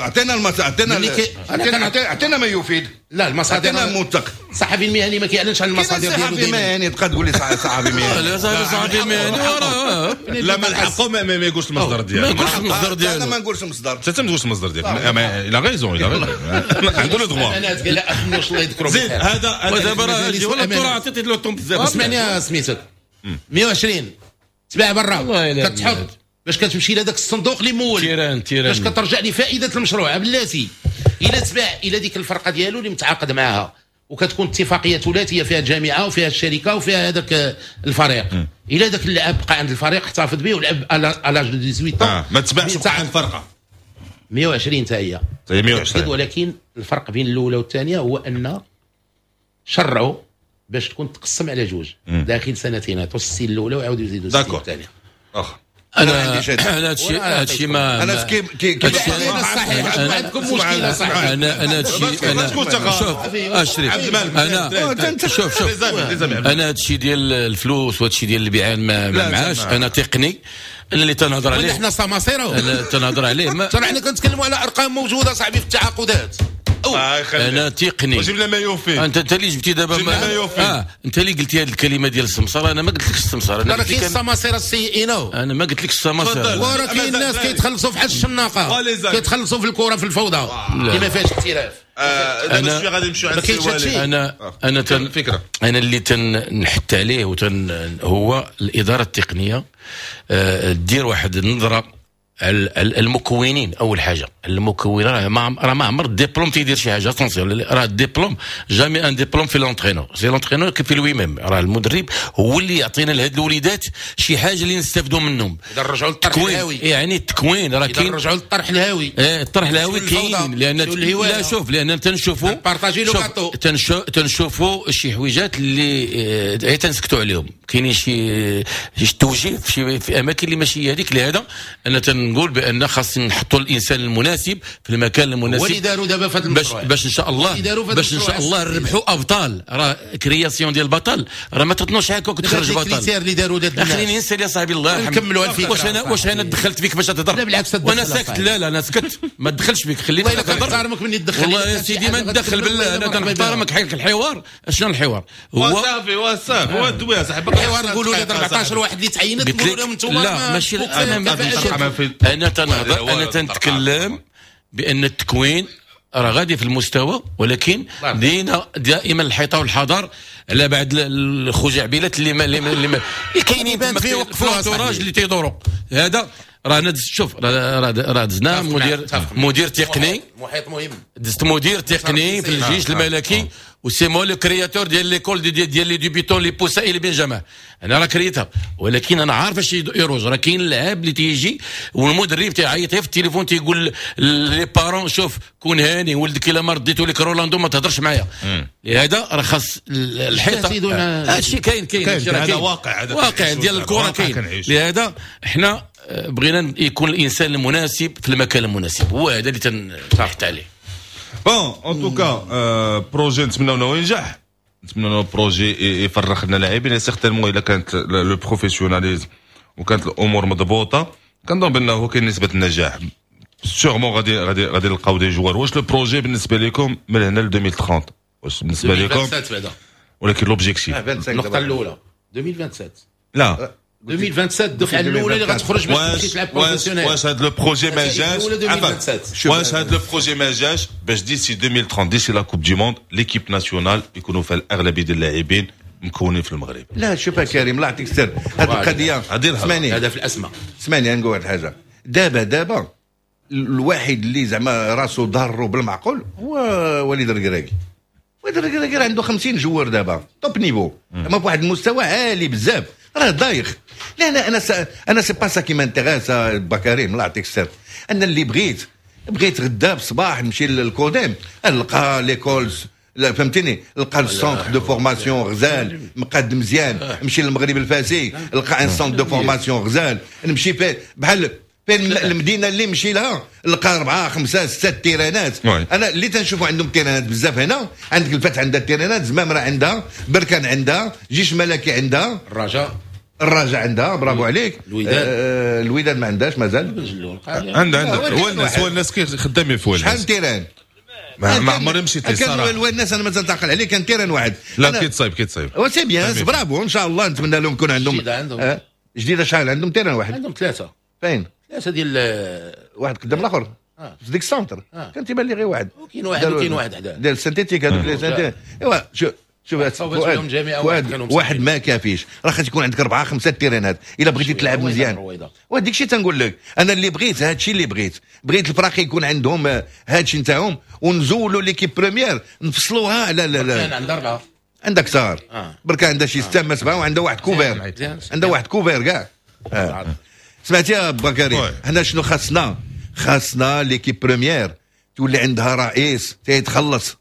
عطينا عطينا عطينا ما يفيد. لا المصادر عطينا موثق. الصحفي المهني ما كيعلنش على المصادر ديالو. الصحفي المهني تبقى تقول لي صحفي مهني. لا صحفي مهني وراه لا من حقه ما يقولش المصدر ديالو. ما يقولش المصدر ديالو. انا ما نقولش المصدر. انت ما تقولش المصدر ديالك. il a raison، il a raison، عنده le droit. انا لا اخنوش الله يذكره. زيد هذا ودابا راه ولا ترى عطيتي له طون بزاف. اسمعني سميتك مية وعشرين تباع برا كتحط باش كتمشي لهذاك الصندوق اللي مول terrain terrain باش كترجع لفائدة المشروع. بلاتي الا تباع الى ديك الفرقة ديالو اللي متعاقد معاها وكتكون اتفاقية ثلاثية فيها الجامعة وفيها الشركة وفيها هذاك الفريق، الا ذاك اللاعب بقى عند الفريق احتفظ به ولعب à l'âge de ثمنطاش آه. ما تباعش بقى عند الفرقة. مية وعشرين حتى هي مية وعشرين، ولكن الفرق بين الاولى والثانية هو ان شرعوا باش تكون تقسم على جوج داخل سنتين، عطوا السين الاولى وعاودوا يزيدوا السين الثانية. اخ انا انا هادشي هادشي ما انا كي كي صحيح عندكم مشكلة صحيح. انا انا هادشي انا شوف اشرف انا شوف شوف انا هادشي ديال الفلوس وهادشي ديال البيعان ما معاش. انا تقني، انا اللي تنهضر عليه. حنا سماسيره انا تنهضر عليه. ما ترى حنا كنتكلموا على ارقام موجودة صاحبي في التعاقدات. انا تقني. وجيب لنا ما يوفي. انت انت اللي جبتي دابا ما يوفي. اه انت اللي قلتي هذه الكلمة ديال السمسره. انا ما قلتلكش السمسره. انا كاين السماسره السيئين. انا ما قلتلكش السماسره. وراه كاين الناس كيتخلصوا في حال الشناقه، كيتخلصوا في الكره في الفوضى اللي ما فيهاش احتراف. انا شوية غادي نمشيو عند السي. انا انا تن فكرة انا اللي تنحت عليه وتن هو الادارة التقنية دير واحد النظرة المكونين. اول حاجة المكون راه ما راه ما عمر الدبلوم تيدير شي حاجة. attention راه ال diplôme jamais un diplôme fait l'entraîneur، c'est l'entraîneur qui fait lui-même. راه المدرب هو اللي يعطينا لهاد الوليدات شي حاجة اللي نستافدوا منهم. اذا رجعوا للطرح الهاوي، يعني التكوين راه كاين. رجعوا للطرح الهاوي. اه الطرح الهاوي كاين، لان لا شوف لان تنشوفوا partager le gâteau، تنشوفوا شي حويجات اللي اه تنسكتوا عليهم. كاينين شي شي توجيه في شي في اماكن اللي ماشي هذيك. لهذا انا تنقول بان خاص نحطوا الانسان المناسب في المكان المناسب. هو اللي داروا دابا في هذا المشروع باش باش ان شاء الله باش ان شاء الله نربحوا ابطال. راه création ديال بطل راه ما تطنوش هكاك وتخرج بطل. اللي داروا خليني نسال يا صاحبي الله يرحمك. نكملوا الفكرة. واش انا واش انا دخلت فيك باش تهضر؟ لا بالعكس، وانا ساكت. لا لا انا سكت ما تدخلش فيك، خليني نهضر. نحترمك مني تدخل. والله يا سيدي ما ندخل بالله، انا تنحترمك. حق الحوار شنو الحوار؟ هو صافي هو صافي هو دوي يا صاحبي. الحوار نقولوا لي أربعطاش واحد اللي تعينت نقولوا لهم انتم. لا ماشي انا انا تنهضر، انا تنتكلم بان التكوين راه غادي في المستوى، ولكن دينا دائما الحيطة والحذر على بعض الخزعبلات اللي ما اللي ما اللي كاينين في l'entourage اللي تيدوروا. هذا راه انا شوف راه راه دزنا مدير مدير تقني، محيط مهم، دزت مدير تقني في الجيش الملكي، و c'est moi le créateur ديال l'école ديال ديال les débutants، les poussins et les benjamins. انا راه كريتها، ولكن انا عارف اش يروج. راه كاين اللاعب اللي تيجي والمدرب تيعيط في التليفون، تيقول les parents: شوف، كون هاني، ولدك الا ما رديتو لك رولاندو ما تهضرش معايا. لهذا راه خاص الحيطه. هادشي كاين كاين. هذا واقع. هذا واقع ديال الكره كاين. لهذا احنا بغينا يكون الانسان المناسب في المكان المناسب، هو هذا اللي تنحط عليه. bon، en tout cas projet نتمناو انه ينجح، نتمنى انه projet يفرخ لنا لاعبين. certainement الا كانت le professionnalisme وكانت الامور مضبوطه، كنظن بانه كاين نسبه النجاح، sûrement غادي غادي غادي نلقاو des joueurs. واش le projet بالنسبة لكم من هنا ل ألفين وثلاثين، واش بالنسبة لكم ولكن l'objectif؟ النقطة الاولى ألفين وسبعة وعشرين. لا. ألفين وسبعة وعشرين الدفعة الاولى اللي غتخرج باش تمشي تلعب professionnel. واش هذا le projet ما جاش؟ واش هذا le projet ما جاش باش d'ici ألفين وثلاثين، d'ici la Coupe du monde، l'équipe nationale يكونوا فيها الاغلبية ديال اللاعبين مكونين في المغرب؟ لا، شوف كريم، الله يعطيك السر، هذه القضية اسمعني. هذا في الاسماء. اسمعني، نقول واحد الحاجة دابا. دابا الواحد اللي زعما راسو ضارو بالمعقول هو وليد الركراكي. وليد الركراكي راه عنده خمسين joueurs دابا top niveau، ما بواحد المستوى عالي بزاف، راه دايخ. لا لا، انا ça انا c'est pas ça qui m'intéresse. بكريم، الله يعطيك السر، انا اللي بغيت بغيت غدا بصباح نمشي للكوديم نلقى l'école، لا فهمتيني، نلقى ال centre de formation غزال مقاد مزيان، نمشي للمغرب الفاسي نلقى un centre de formation غزال، نمشي في بحال فين المدينة اللي نمشي لها نلقى اربعة خمسة ستة تيرانات. انا اللي تنشوفوا عندهم تيرانات بزاف هنا، عندك الفتح عندها تيرانات، زمامرة عندها، بركان عندها، جيش ملكي عندها. الرجاء. الرجاء عندها، برافو عليك. الوداد. آه الوداد ما عندهاش مازال. عندها عندها، هو الناس هو الناس خدامين في. شحال terrain؟ ما ما عمري مشيت. كان الناس، انا مازال تعقل عليه، كان terrain واحد. لا، كيتصايب كيتصايب. c'est bien، bravo، ان شاء الله نتمنى لهم يكون عندهم. جديدة عندهم. آه جديده، شحال عندهم terrain واحد؟ عندهم ثلاثه. فين؟ ثلاثة ديال واحد قدام الاخر آه. في ديك ال centre آه. كان تيبان لي غير واحد. وكاين واحد وكاين واحد حداه. ديال ال synthétique، هذوك les synthétiques. ايوا شوف شوف فؤاد، فؤاد، واحد ما كافيش، راه خاص يكون عندك اربعة خمسة تيرانات الا بغيتي تلعب مزيان. وهذيك الشيء تنقول لك، انا اللي بغيت هذا الشيء اللي بغيت، بغيت الفراقي يكون عندهم هذا الشيء نتاعهم ونزولوا l'équipe première نفصلوها على لا لا عندها اربعه. عندك صار آه. بركان عندها شي ستة ما سبعه، وعندها واحد couvert، عندها واحد couvert كاع آه. سمعتي يا بكري؟ حنا شنو خاصنا؟ خاصنا l'équipe première تولي عندها رئيس تيتخلص،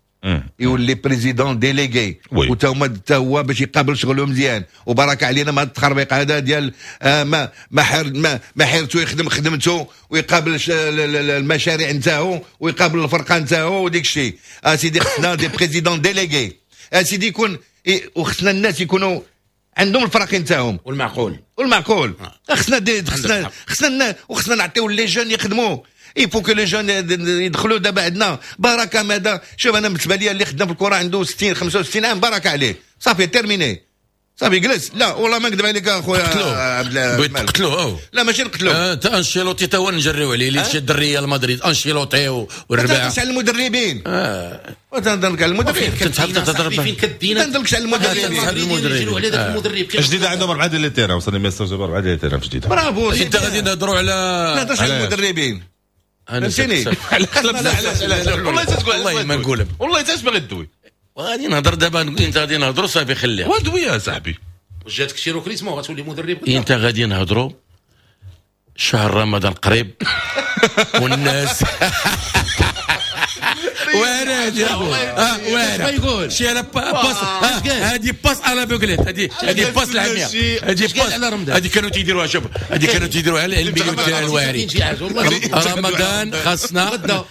يولي président délégué، وتا هما تا هو باش يقابل شغله مزيان، وبركة علينا ما التخربيق هذا ديال آه ما ما حير ما, ما حيرتو يخدم خدمته ويقابل المشاريع نتاعو ويقابل الفرقة نتاعو وديك الشيء. اسيدي خصنا des présidents délégués اسيدي يكون، وخصنا الناس يكونوا عندهم الفرق نتاعهم. والمعقول. والمعقول. خصنا خصنا خصنا وخصنا نعطيو les jeunes يخدموا. il faut que les jeunes يدخلوا. دابا عندنا بركة ماذا؟ شوف، انا بالنسبة لي اللي خدام في الكره عنده ستين خمسة وستين عام، بركة عليه، صافي terminé، صافي جلس. لا والله ما نكذب عليك اخويا. عبد الملك، تقتلوه. لا، ماشي نقتلوه. آه انشيلوتي تا هو نجريو عليه، اللي شد الريال مدريد انشيلوتي والرباع. ما على المدربين. اه وتنهضر على المدربين. تتهضر فين كدينا؟ تنهضرش على المدربين. المدربين على ذاك المدرب. جديدة عندهم اربعة ديال les terrains، وصلني message، اربعة ديال les terrains في جديده. برافو. انت غادي نهضروا على ما نهضرش على المدربين، فهمتيني؟ والله تقول. والله ما نقول. والله انت باغي تدوي. غادي نهضر دابا، انت غادي نهضروا، صافي خليها. ودوي يا صاحبي. واش جاتك شي recrutement غتولي مدرب؟ انت غادي نهضروا، شهر رمضان قريب والناس وانا هادي وانا شي انا passe، هادي passe à l'aveuglette، هادي هادي passe العمياء، هادي passe، هادي كانوا تيديروها، شوف، هادي كانوا تيديروها على ال milieu تاع الواري. رمضان خاصنا غدا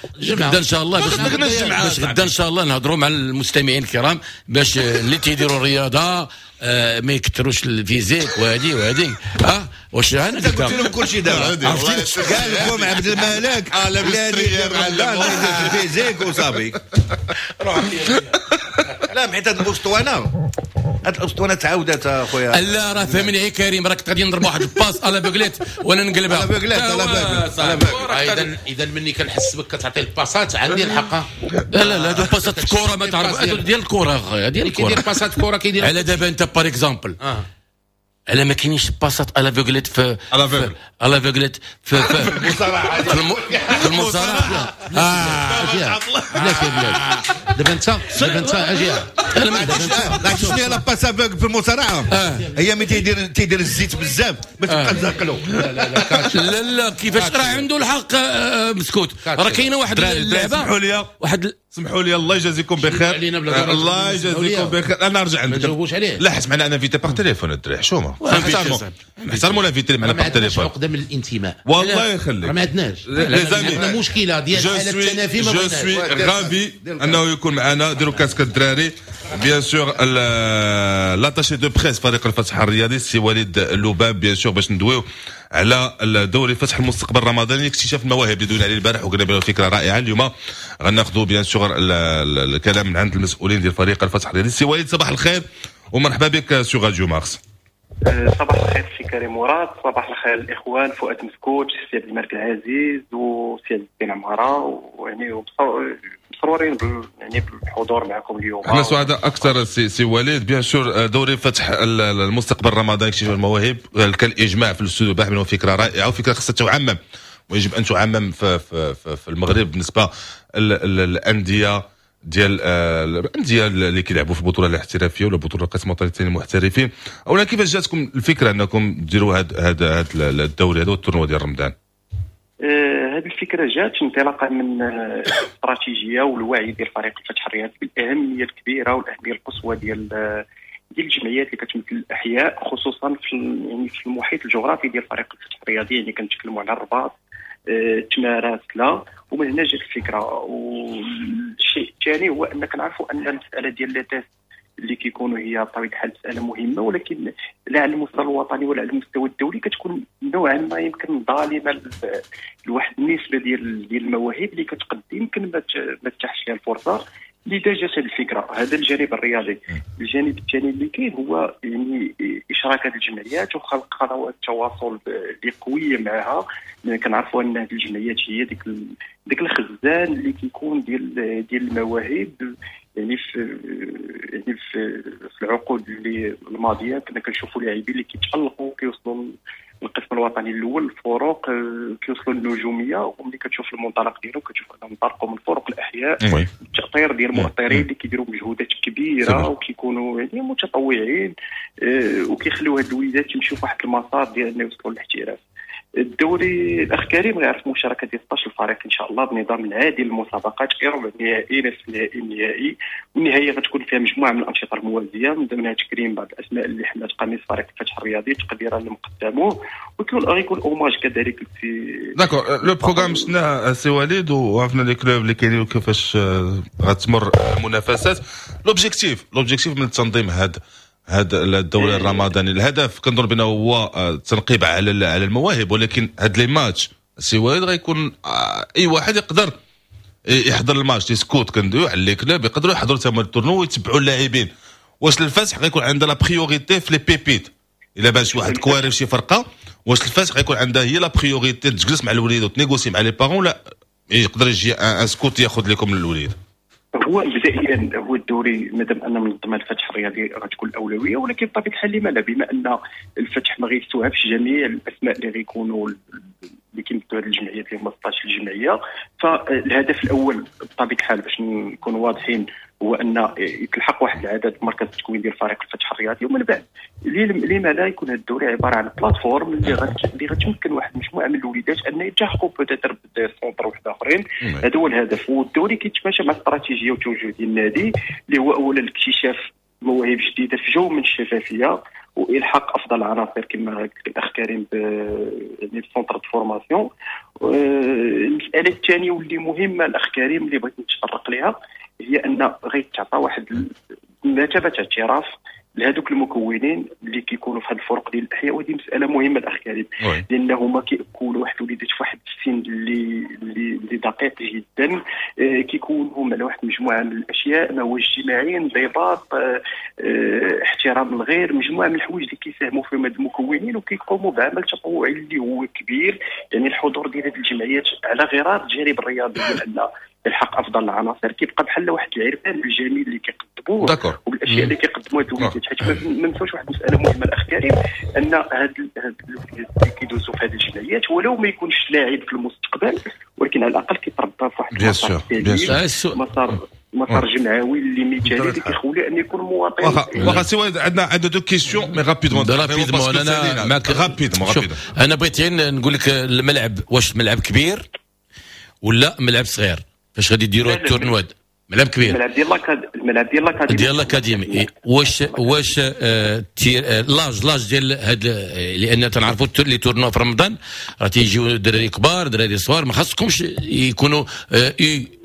ان شاء الله، باش باش غدا ان شاء الله نهضروا مع المستمعين الكرام، باش اللي تيديروا الرياضة آه، ما يكثروش ال physique وهادي وهادي. اه واش انا قلت لهم كل شيء دابا؟ قال لكم عبد الملك لا يدير رمضان ال physique وصافي. لا، حيت هاد الاسطوانه هاد الاسطوانة تعاودت اخويا. لا، راه فهمني كريم، راك غادي نضرب واحد ال passe à l'aveuglette وانا نقلبها. à l'aveuglette، à l'aveuglette. اذا اذا مني كنحس بك كتعطي الباسات، عندي الحق. لا لا لا، هادو باسات الكره ما تعرف، هادو ديال الكره اخويا، ديال الكره. كيدير باسات الكره كيدير. على دابا انت par exemple على ما كاينينش passes à l'aveuglette في à l'aveugle. à l'aveuglette في في المصارعة في الم- في المصارعة. اه بلاش يا بلاش، دابا انت دابا انت اجي. انا ما لا، شنو هي la passe aveugle في المصارعه؟ هي ملي تيدير تيدير الزيت بزاف باش تبقى تزاقلو. لا لا لا، catch. لا لا، كيفاش؟ راه عنده الحق آه، مسكوت، راه كاينه واحد دراري دراري، اللعبه. سمحوا لي. واحد ال- سمحوا لي، الله يجازيكم بخير. علينا بلا ضرر. الله سمحوا لي. يجازيكم بخير، انا نرجع ما عندك. نجاوبوش عليه. لا، حيت معنا un invité par téléphone. الدراري، حشومه. invité. نحترموا صاحبي. نحترموا l'invité اللي معنا ما par عندناش téléphone. عقده من الانتماء. والله راه يخليك. ما عندناش. les amis، عندنا مشكلة ديال je حاله suis التنافي، ما je بغيناش. suis ravi انه يكون معنا. ديروا casque الدراري. bien sûr l'attaché de presse فريق الفتح الرياضي سي وليد لوباب، bien sûr باش ندويو على الدوري فتح المستقبل الرمضاني، اكتشاف المواهب اللي دوينا عليه البارح وقلنا بأنه فكرة رائعه. اليوم غناخذوا bien sûr الكلام من عند المسؤولين ديال فريق الفتح الرياضي. سي وليد، صباح الخير ومرحبا بك sur راديو مارس. صباح الخير سي كريم مراد، صباح الخير الاخوان فؤاد مسكوت، سي عبد الملك العزيز وسي عز الدين عمارة، ويعني مسرورين يعني بالحضور معكم اليوم. احنا سعداء اكثر سي, سي وليد. bien sûr دوري فتح المستقبل الرمضاني اكتشاف المواهب كان الاجماع في الاستوديو البارح انه فكرة رائعة وفكره خاصها تعمم ويجب ان تعمم في, في, في, في المغرب بالنسبة للاندية ديال آه، الاندية اللي كيلعبوا في البطولة الاحترافية ولا بطوله القسم الوطني الثاني المحترفين. اولا، كيفاش جاتكم الفكرة انكم ديروا هذا هذا هذا الدوري هذا وال tournoi ديال رمضان؟ هذه الفكرة جات انطلاقا من الاستراتيجية والوعي ديال فريق الفتح الرياضي بالاهميه الكبيرة والاهميه القصوى ديال ديال الجمعيات اللي كتمثل الاحياء، خصوصا في يعني في المحيط الجغرافي ديال فريق الفتح الرياضي، يعني كنتكلموا على الرباط، آه، تمارة، سلا. ومن هنا جات الفكره. والشيء الثاني هو ان كنعرفوا ان المسالة ديال les tests اللي كيكونوا هي بطبيعة الحال مسالة مهمه، ولكن لا على المستوى الوطني ولا على المستوى الدولي كتكون نوعا ما يمكن ظالمه لواحد النسبة ديال ديال المواهب اللي كتقدم يمكن ما ما تتاحش لها الفرصه. لذا جات هذه الفكره. هذا الجانب الرياضي. الجانب الثاني اللي كاين هو يعني اشراك هذه الجمعيات وخلق قنوات التواصل اللي قوية معها. كنعرفوا ان هذه الجمعيات هي ديك ديك الخزان اللي كيكون ديال ديال المواهب. يعني في يعني في, في العقود اللي الماضية كنا كنشوفوا لاعبين اللي كيتالقوا، كيوصلوا القسم الوطني الاول، الفروق، آه، كيوصلوا للنجوميه، وملي كتشوف المنطلق ديالهم كتشوف انهم انطلقوا من فرق الاحياء، التاطير ديال المؤطرين اللي كيديروا مجهودات كبيرة وكيكونوا يعني متطوعين آه، وكيخليو هاد الوليدات يمشيو في واحد المسار ديال انه يوصلوا للاحتراف. الدوري، الاخ كريم، غيعرف مشاركة ديال ستة عشر فريق ان شاء الله بنظام العادي للمسابقات، ربع نهائي، نصف نهائي، النهائي. والنهاية غتكون فيها مجموعة من الانشطة الموازيه، من ضمنها تكريم بعض الاسماء اللي حملت قميص فريق الفتح الرياضي تقديرا لما قدموه، ويكون غيكون hommage كذلك في d'accord، le programme شفناه سي وليد وعرفنا les clubs اللي كاينين وكيفاش غتمر المنافسات. l'objectif l'objectif من التنظيم هذا هذا الدوري الرمضاني، الهدف كنظن بانه هو التنقيب على على المواهب، ولكن هاد les matchs سي وليد غيكون آه، اي واحد يقدر يحضر ال match، les scouts كندويو على les clubs يقدروا يحضروا تما ال tournoi ويتبعوا اللاعبين. واش الفتح غيكون عندها la priorité في les pépites؟ الا بان شي واحد كواري في شي فرقه، واش الفتح غيكون عندها هي la priorité تجلس مع الوليد وت négocier مع les parents، ولا يقدر يجي un scout ياخذ لكم الوليد؟ هو مبدئيا هو الدوري مادام ان منظمة الفتح الرياضي غتكون الاولويه، ولكن بطبيعة الحال لما لا، بما ان الفتح ما غيستوعبش جميع الاسماء اللي غيكونوا اللي كيمثلوا هذه الجمعيات اللي هما ستة عشر الجمعيه. فالهدف الاول بطبيعة الحال، باش نكونوا واضحين، هو ان يتلحق واحد العدد مركز التكوين ديال فريق الفتح الرياضي، ومن بعد لما لا يكون هذا الدوري عبارة عن plateforme اللي غت اللي غتمكن واحد المجموعة من الوليدات ان يلتحقوا peut-être ب des centres واحد اخرين. هذا هو الهدف. والدوري كيتماشى مع استراتيجية وتوجه ديال النادي، اللي هو اولا الاكتشاف مواهب جديدة في جو من الشفافية والحاق افضل العناصر كما قلت الاخ كريم يعني ب centre de formation. المسالة الثانية واللي مهمة الاخ كريم اللي بغيت نتطرق لها هي ان غيتعطى واحد مثابة اعتراف لهذوك المكونين اللي كيكونوا في هذه الفرق ديال الاحياء. وهذه مسالة مهمة الاخ كريم، لان هما كيكونوا واحد الوليدات في واحد السن اللي اللي, اللي دقيق جدا، آه، كيكونوا على واحد المجموعة من الاشياء، ما هو اجتماعي، انضباط، آه، آه، احترام الغير، مجموعة من الحوايج اللي كيساهموا فيهم هاد المكونين وكيقوموا بعمل تطوعي اللي هو كبير. يعني الحضور ديال هذه الجمعيات على غرار الجانب الرياضي ديال ان الحق افضل العناصر كيبقى بحال واحد العرفان الجميل اللي كيقدموه. كيكتبوه وبالاشياء اللي كيقدموها الوليدات، حيت ما نساوش واحد المسالة مهمة الاخ كريم، ان هاد هاد الوليدات اللي كيدوزوا في هذه الجمعيات ولو ما يكونش لاعب في المستقبل، ولكن على الاقل كيتربى في واحد المسار، مسار مسار جمعوي اللي مثالي اللي كيخولي ان يكون مواطن. واخا واخا سي وليد، عندنا عندنا deux questions mais rapidement. rapidement، انا معك rapidement rapidement. انا بغيت نقول لك الملعب، واش ملعب كبير ولا ملعب صغير فاش غادي ديروا ال tournoi؟ ملعب كبير؟ الملعب ديال الملعب ديال l'académie، ديال l'académie. واش واش آه تير l'âge l'âge ديال هاد، لان تنعرفوا les tournois في رمضان راه تيجيو دراري كبار، دراري صغار، ما خاصكمش يكونوا U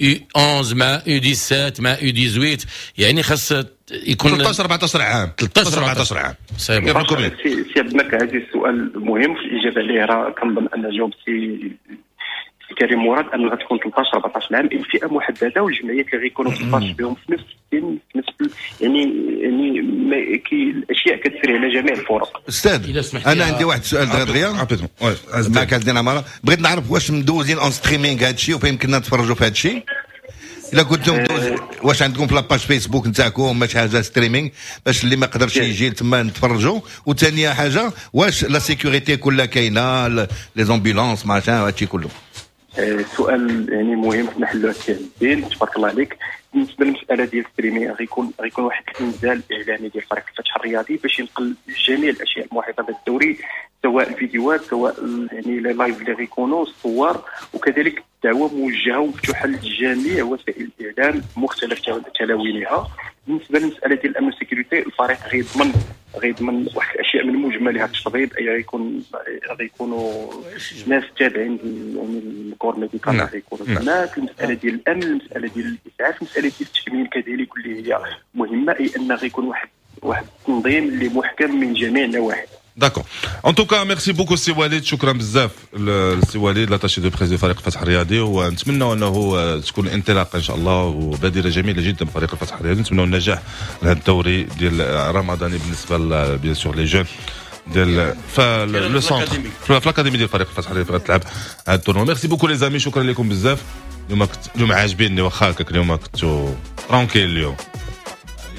U أحد عشر مع U سبعطاش مع U ثمنطاش، يعني خاص يكون ثلاثة عشر أربعة عشر عام. ثلاثة عشر أربعة عشر عام. سي سي عبد الملك عزيز، السؤال مهم في الاجابة عليه. راه كنظن ان جاوب سي كريم مراد ان غتكون ثلاثة عشر أربعة عشر عام، فئة محدده، والجمعيات اللي غيكونوا ثلاثة عشر بهم في نفس السن، في نفس يعني يعني ما كي الاشياء كتسري على جميع الفرق. استاذ، انا عندي واحد السؤال دغيا معك عندنا عمارة، بغيت نعرف واش مدوزين en streaming هذا الشيء وفين يمكننا نتفرجوا في هذا الشيء؟ الا كنتم مدوز، واش عندكم في la page Facebook نتاعكم شي حاجة streaming باش اللي ما قدرش يجي تما نتفرجوا؟ وثانيه حاجه، واش la sécurité كلها كاينه، les ambulances، machin، هادشي كله؟ سؤال يعني مهم في محله الدين، تبارك الله عليك. بالنسبة للمسالة ديال streaming، غيكون غيكون واحد الانزال اعلامي ديال فريق الفتح الرياضي باش ينقل جميع الاشياء المحيطة بالدوري، سواء الفيديوهات، سواء يعني les lives اللي غيكونوا، الصور، وكذلك دعوه موجهة ومفتوحه لجميع وسائل الاعلام مختلف تلاوينها. بالنسبة للمسالة ديال الامن sécurité، الفريق غيضمن غيضمن واحد الاشياء من مجملها التطبيب، اي غيكون غيكونوا ناس تابعين يعني ال corps médical نعم. غيكونوا نعم. تماك. المسالة ديال الامن، المسالة ديال الاسعاف، المسالة ديال التامين كذلك اللي هي مهمه، اي ان غيكون واحد واحد التنظيم اللي محكم من جميع النواحي. d'accord، en tout cas merci beaucoup سي وليد، شكرا بزاف السي وليد l'attaché de presse فريق الفتح الرياضي، ونتمنى انه تكون انطلاقة ان شاء الله وبادره جميلة جدا بفريق الفتح الرياضي. نتمنى النجاح لهذا الدوري ديال رمضاني بالنسبة bien sûr les jeunes ديال le centre في l'académie ديال فريق الفتح الرياضي غتلعب هذا ال tournoi. merci beaucoup les amis، شكرا لكم بزاف. اليوم كنت اليوم عاجبيني، واخا هكاك اليوم كنتو tranquille. اليوم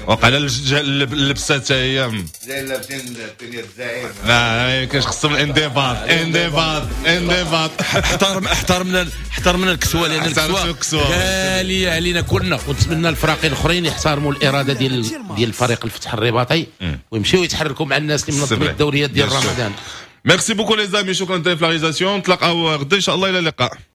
وقع على اللبسه حتى هي. لابسين الدنيا الزعيم. لا، ما يمكنش، خصهم الانضباط، انضباط، انضباط. احترم احترمنا احترمنا الكسوه، لان الكسوة غالية علينا كلنا. ونتمنى الفراقي الاخرين يحترموا الارادة ديال ديال الفريق الفتح الرباطي ويمشيو يتحركوا مع الناس اللي منظمين الدوريات ديال رمضان. merci beaucoup les amis، شكرا في la réalisation. نتلاقاو غدا ان شاء الله، الى اللقاء.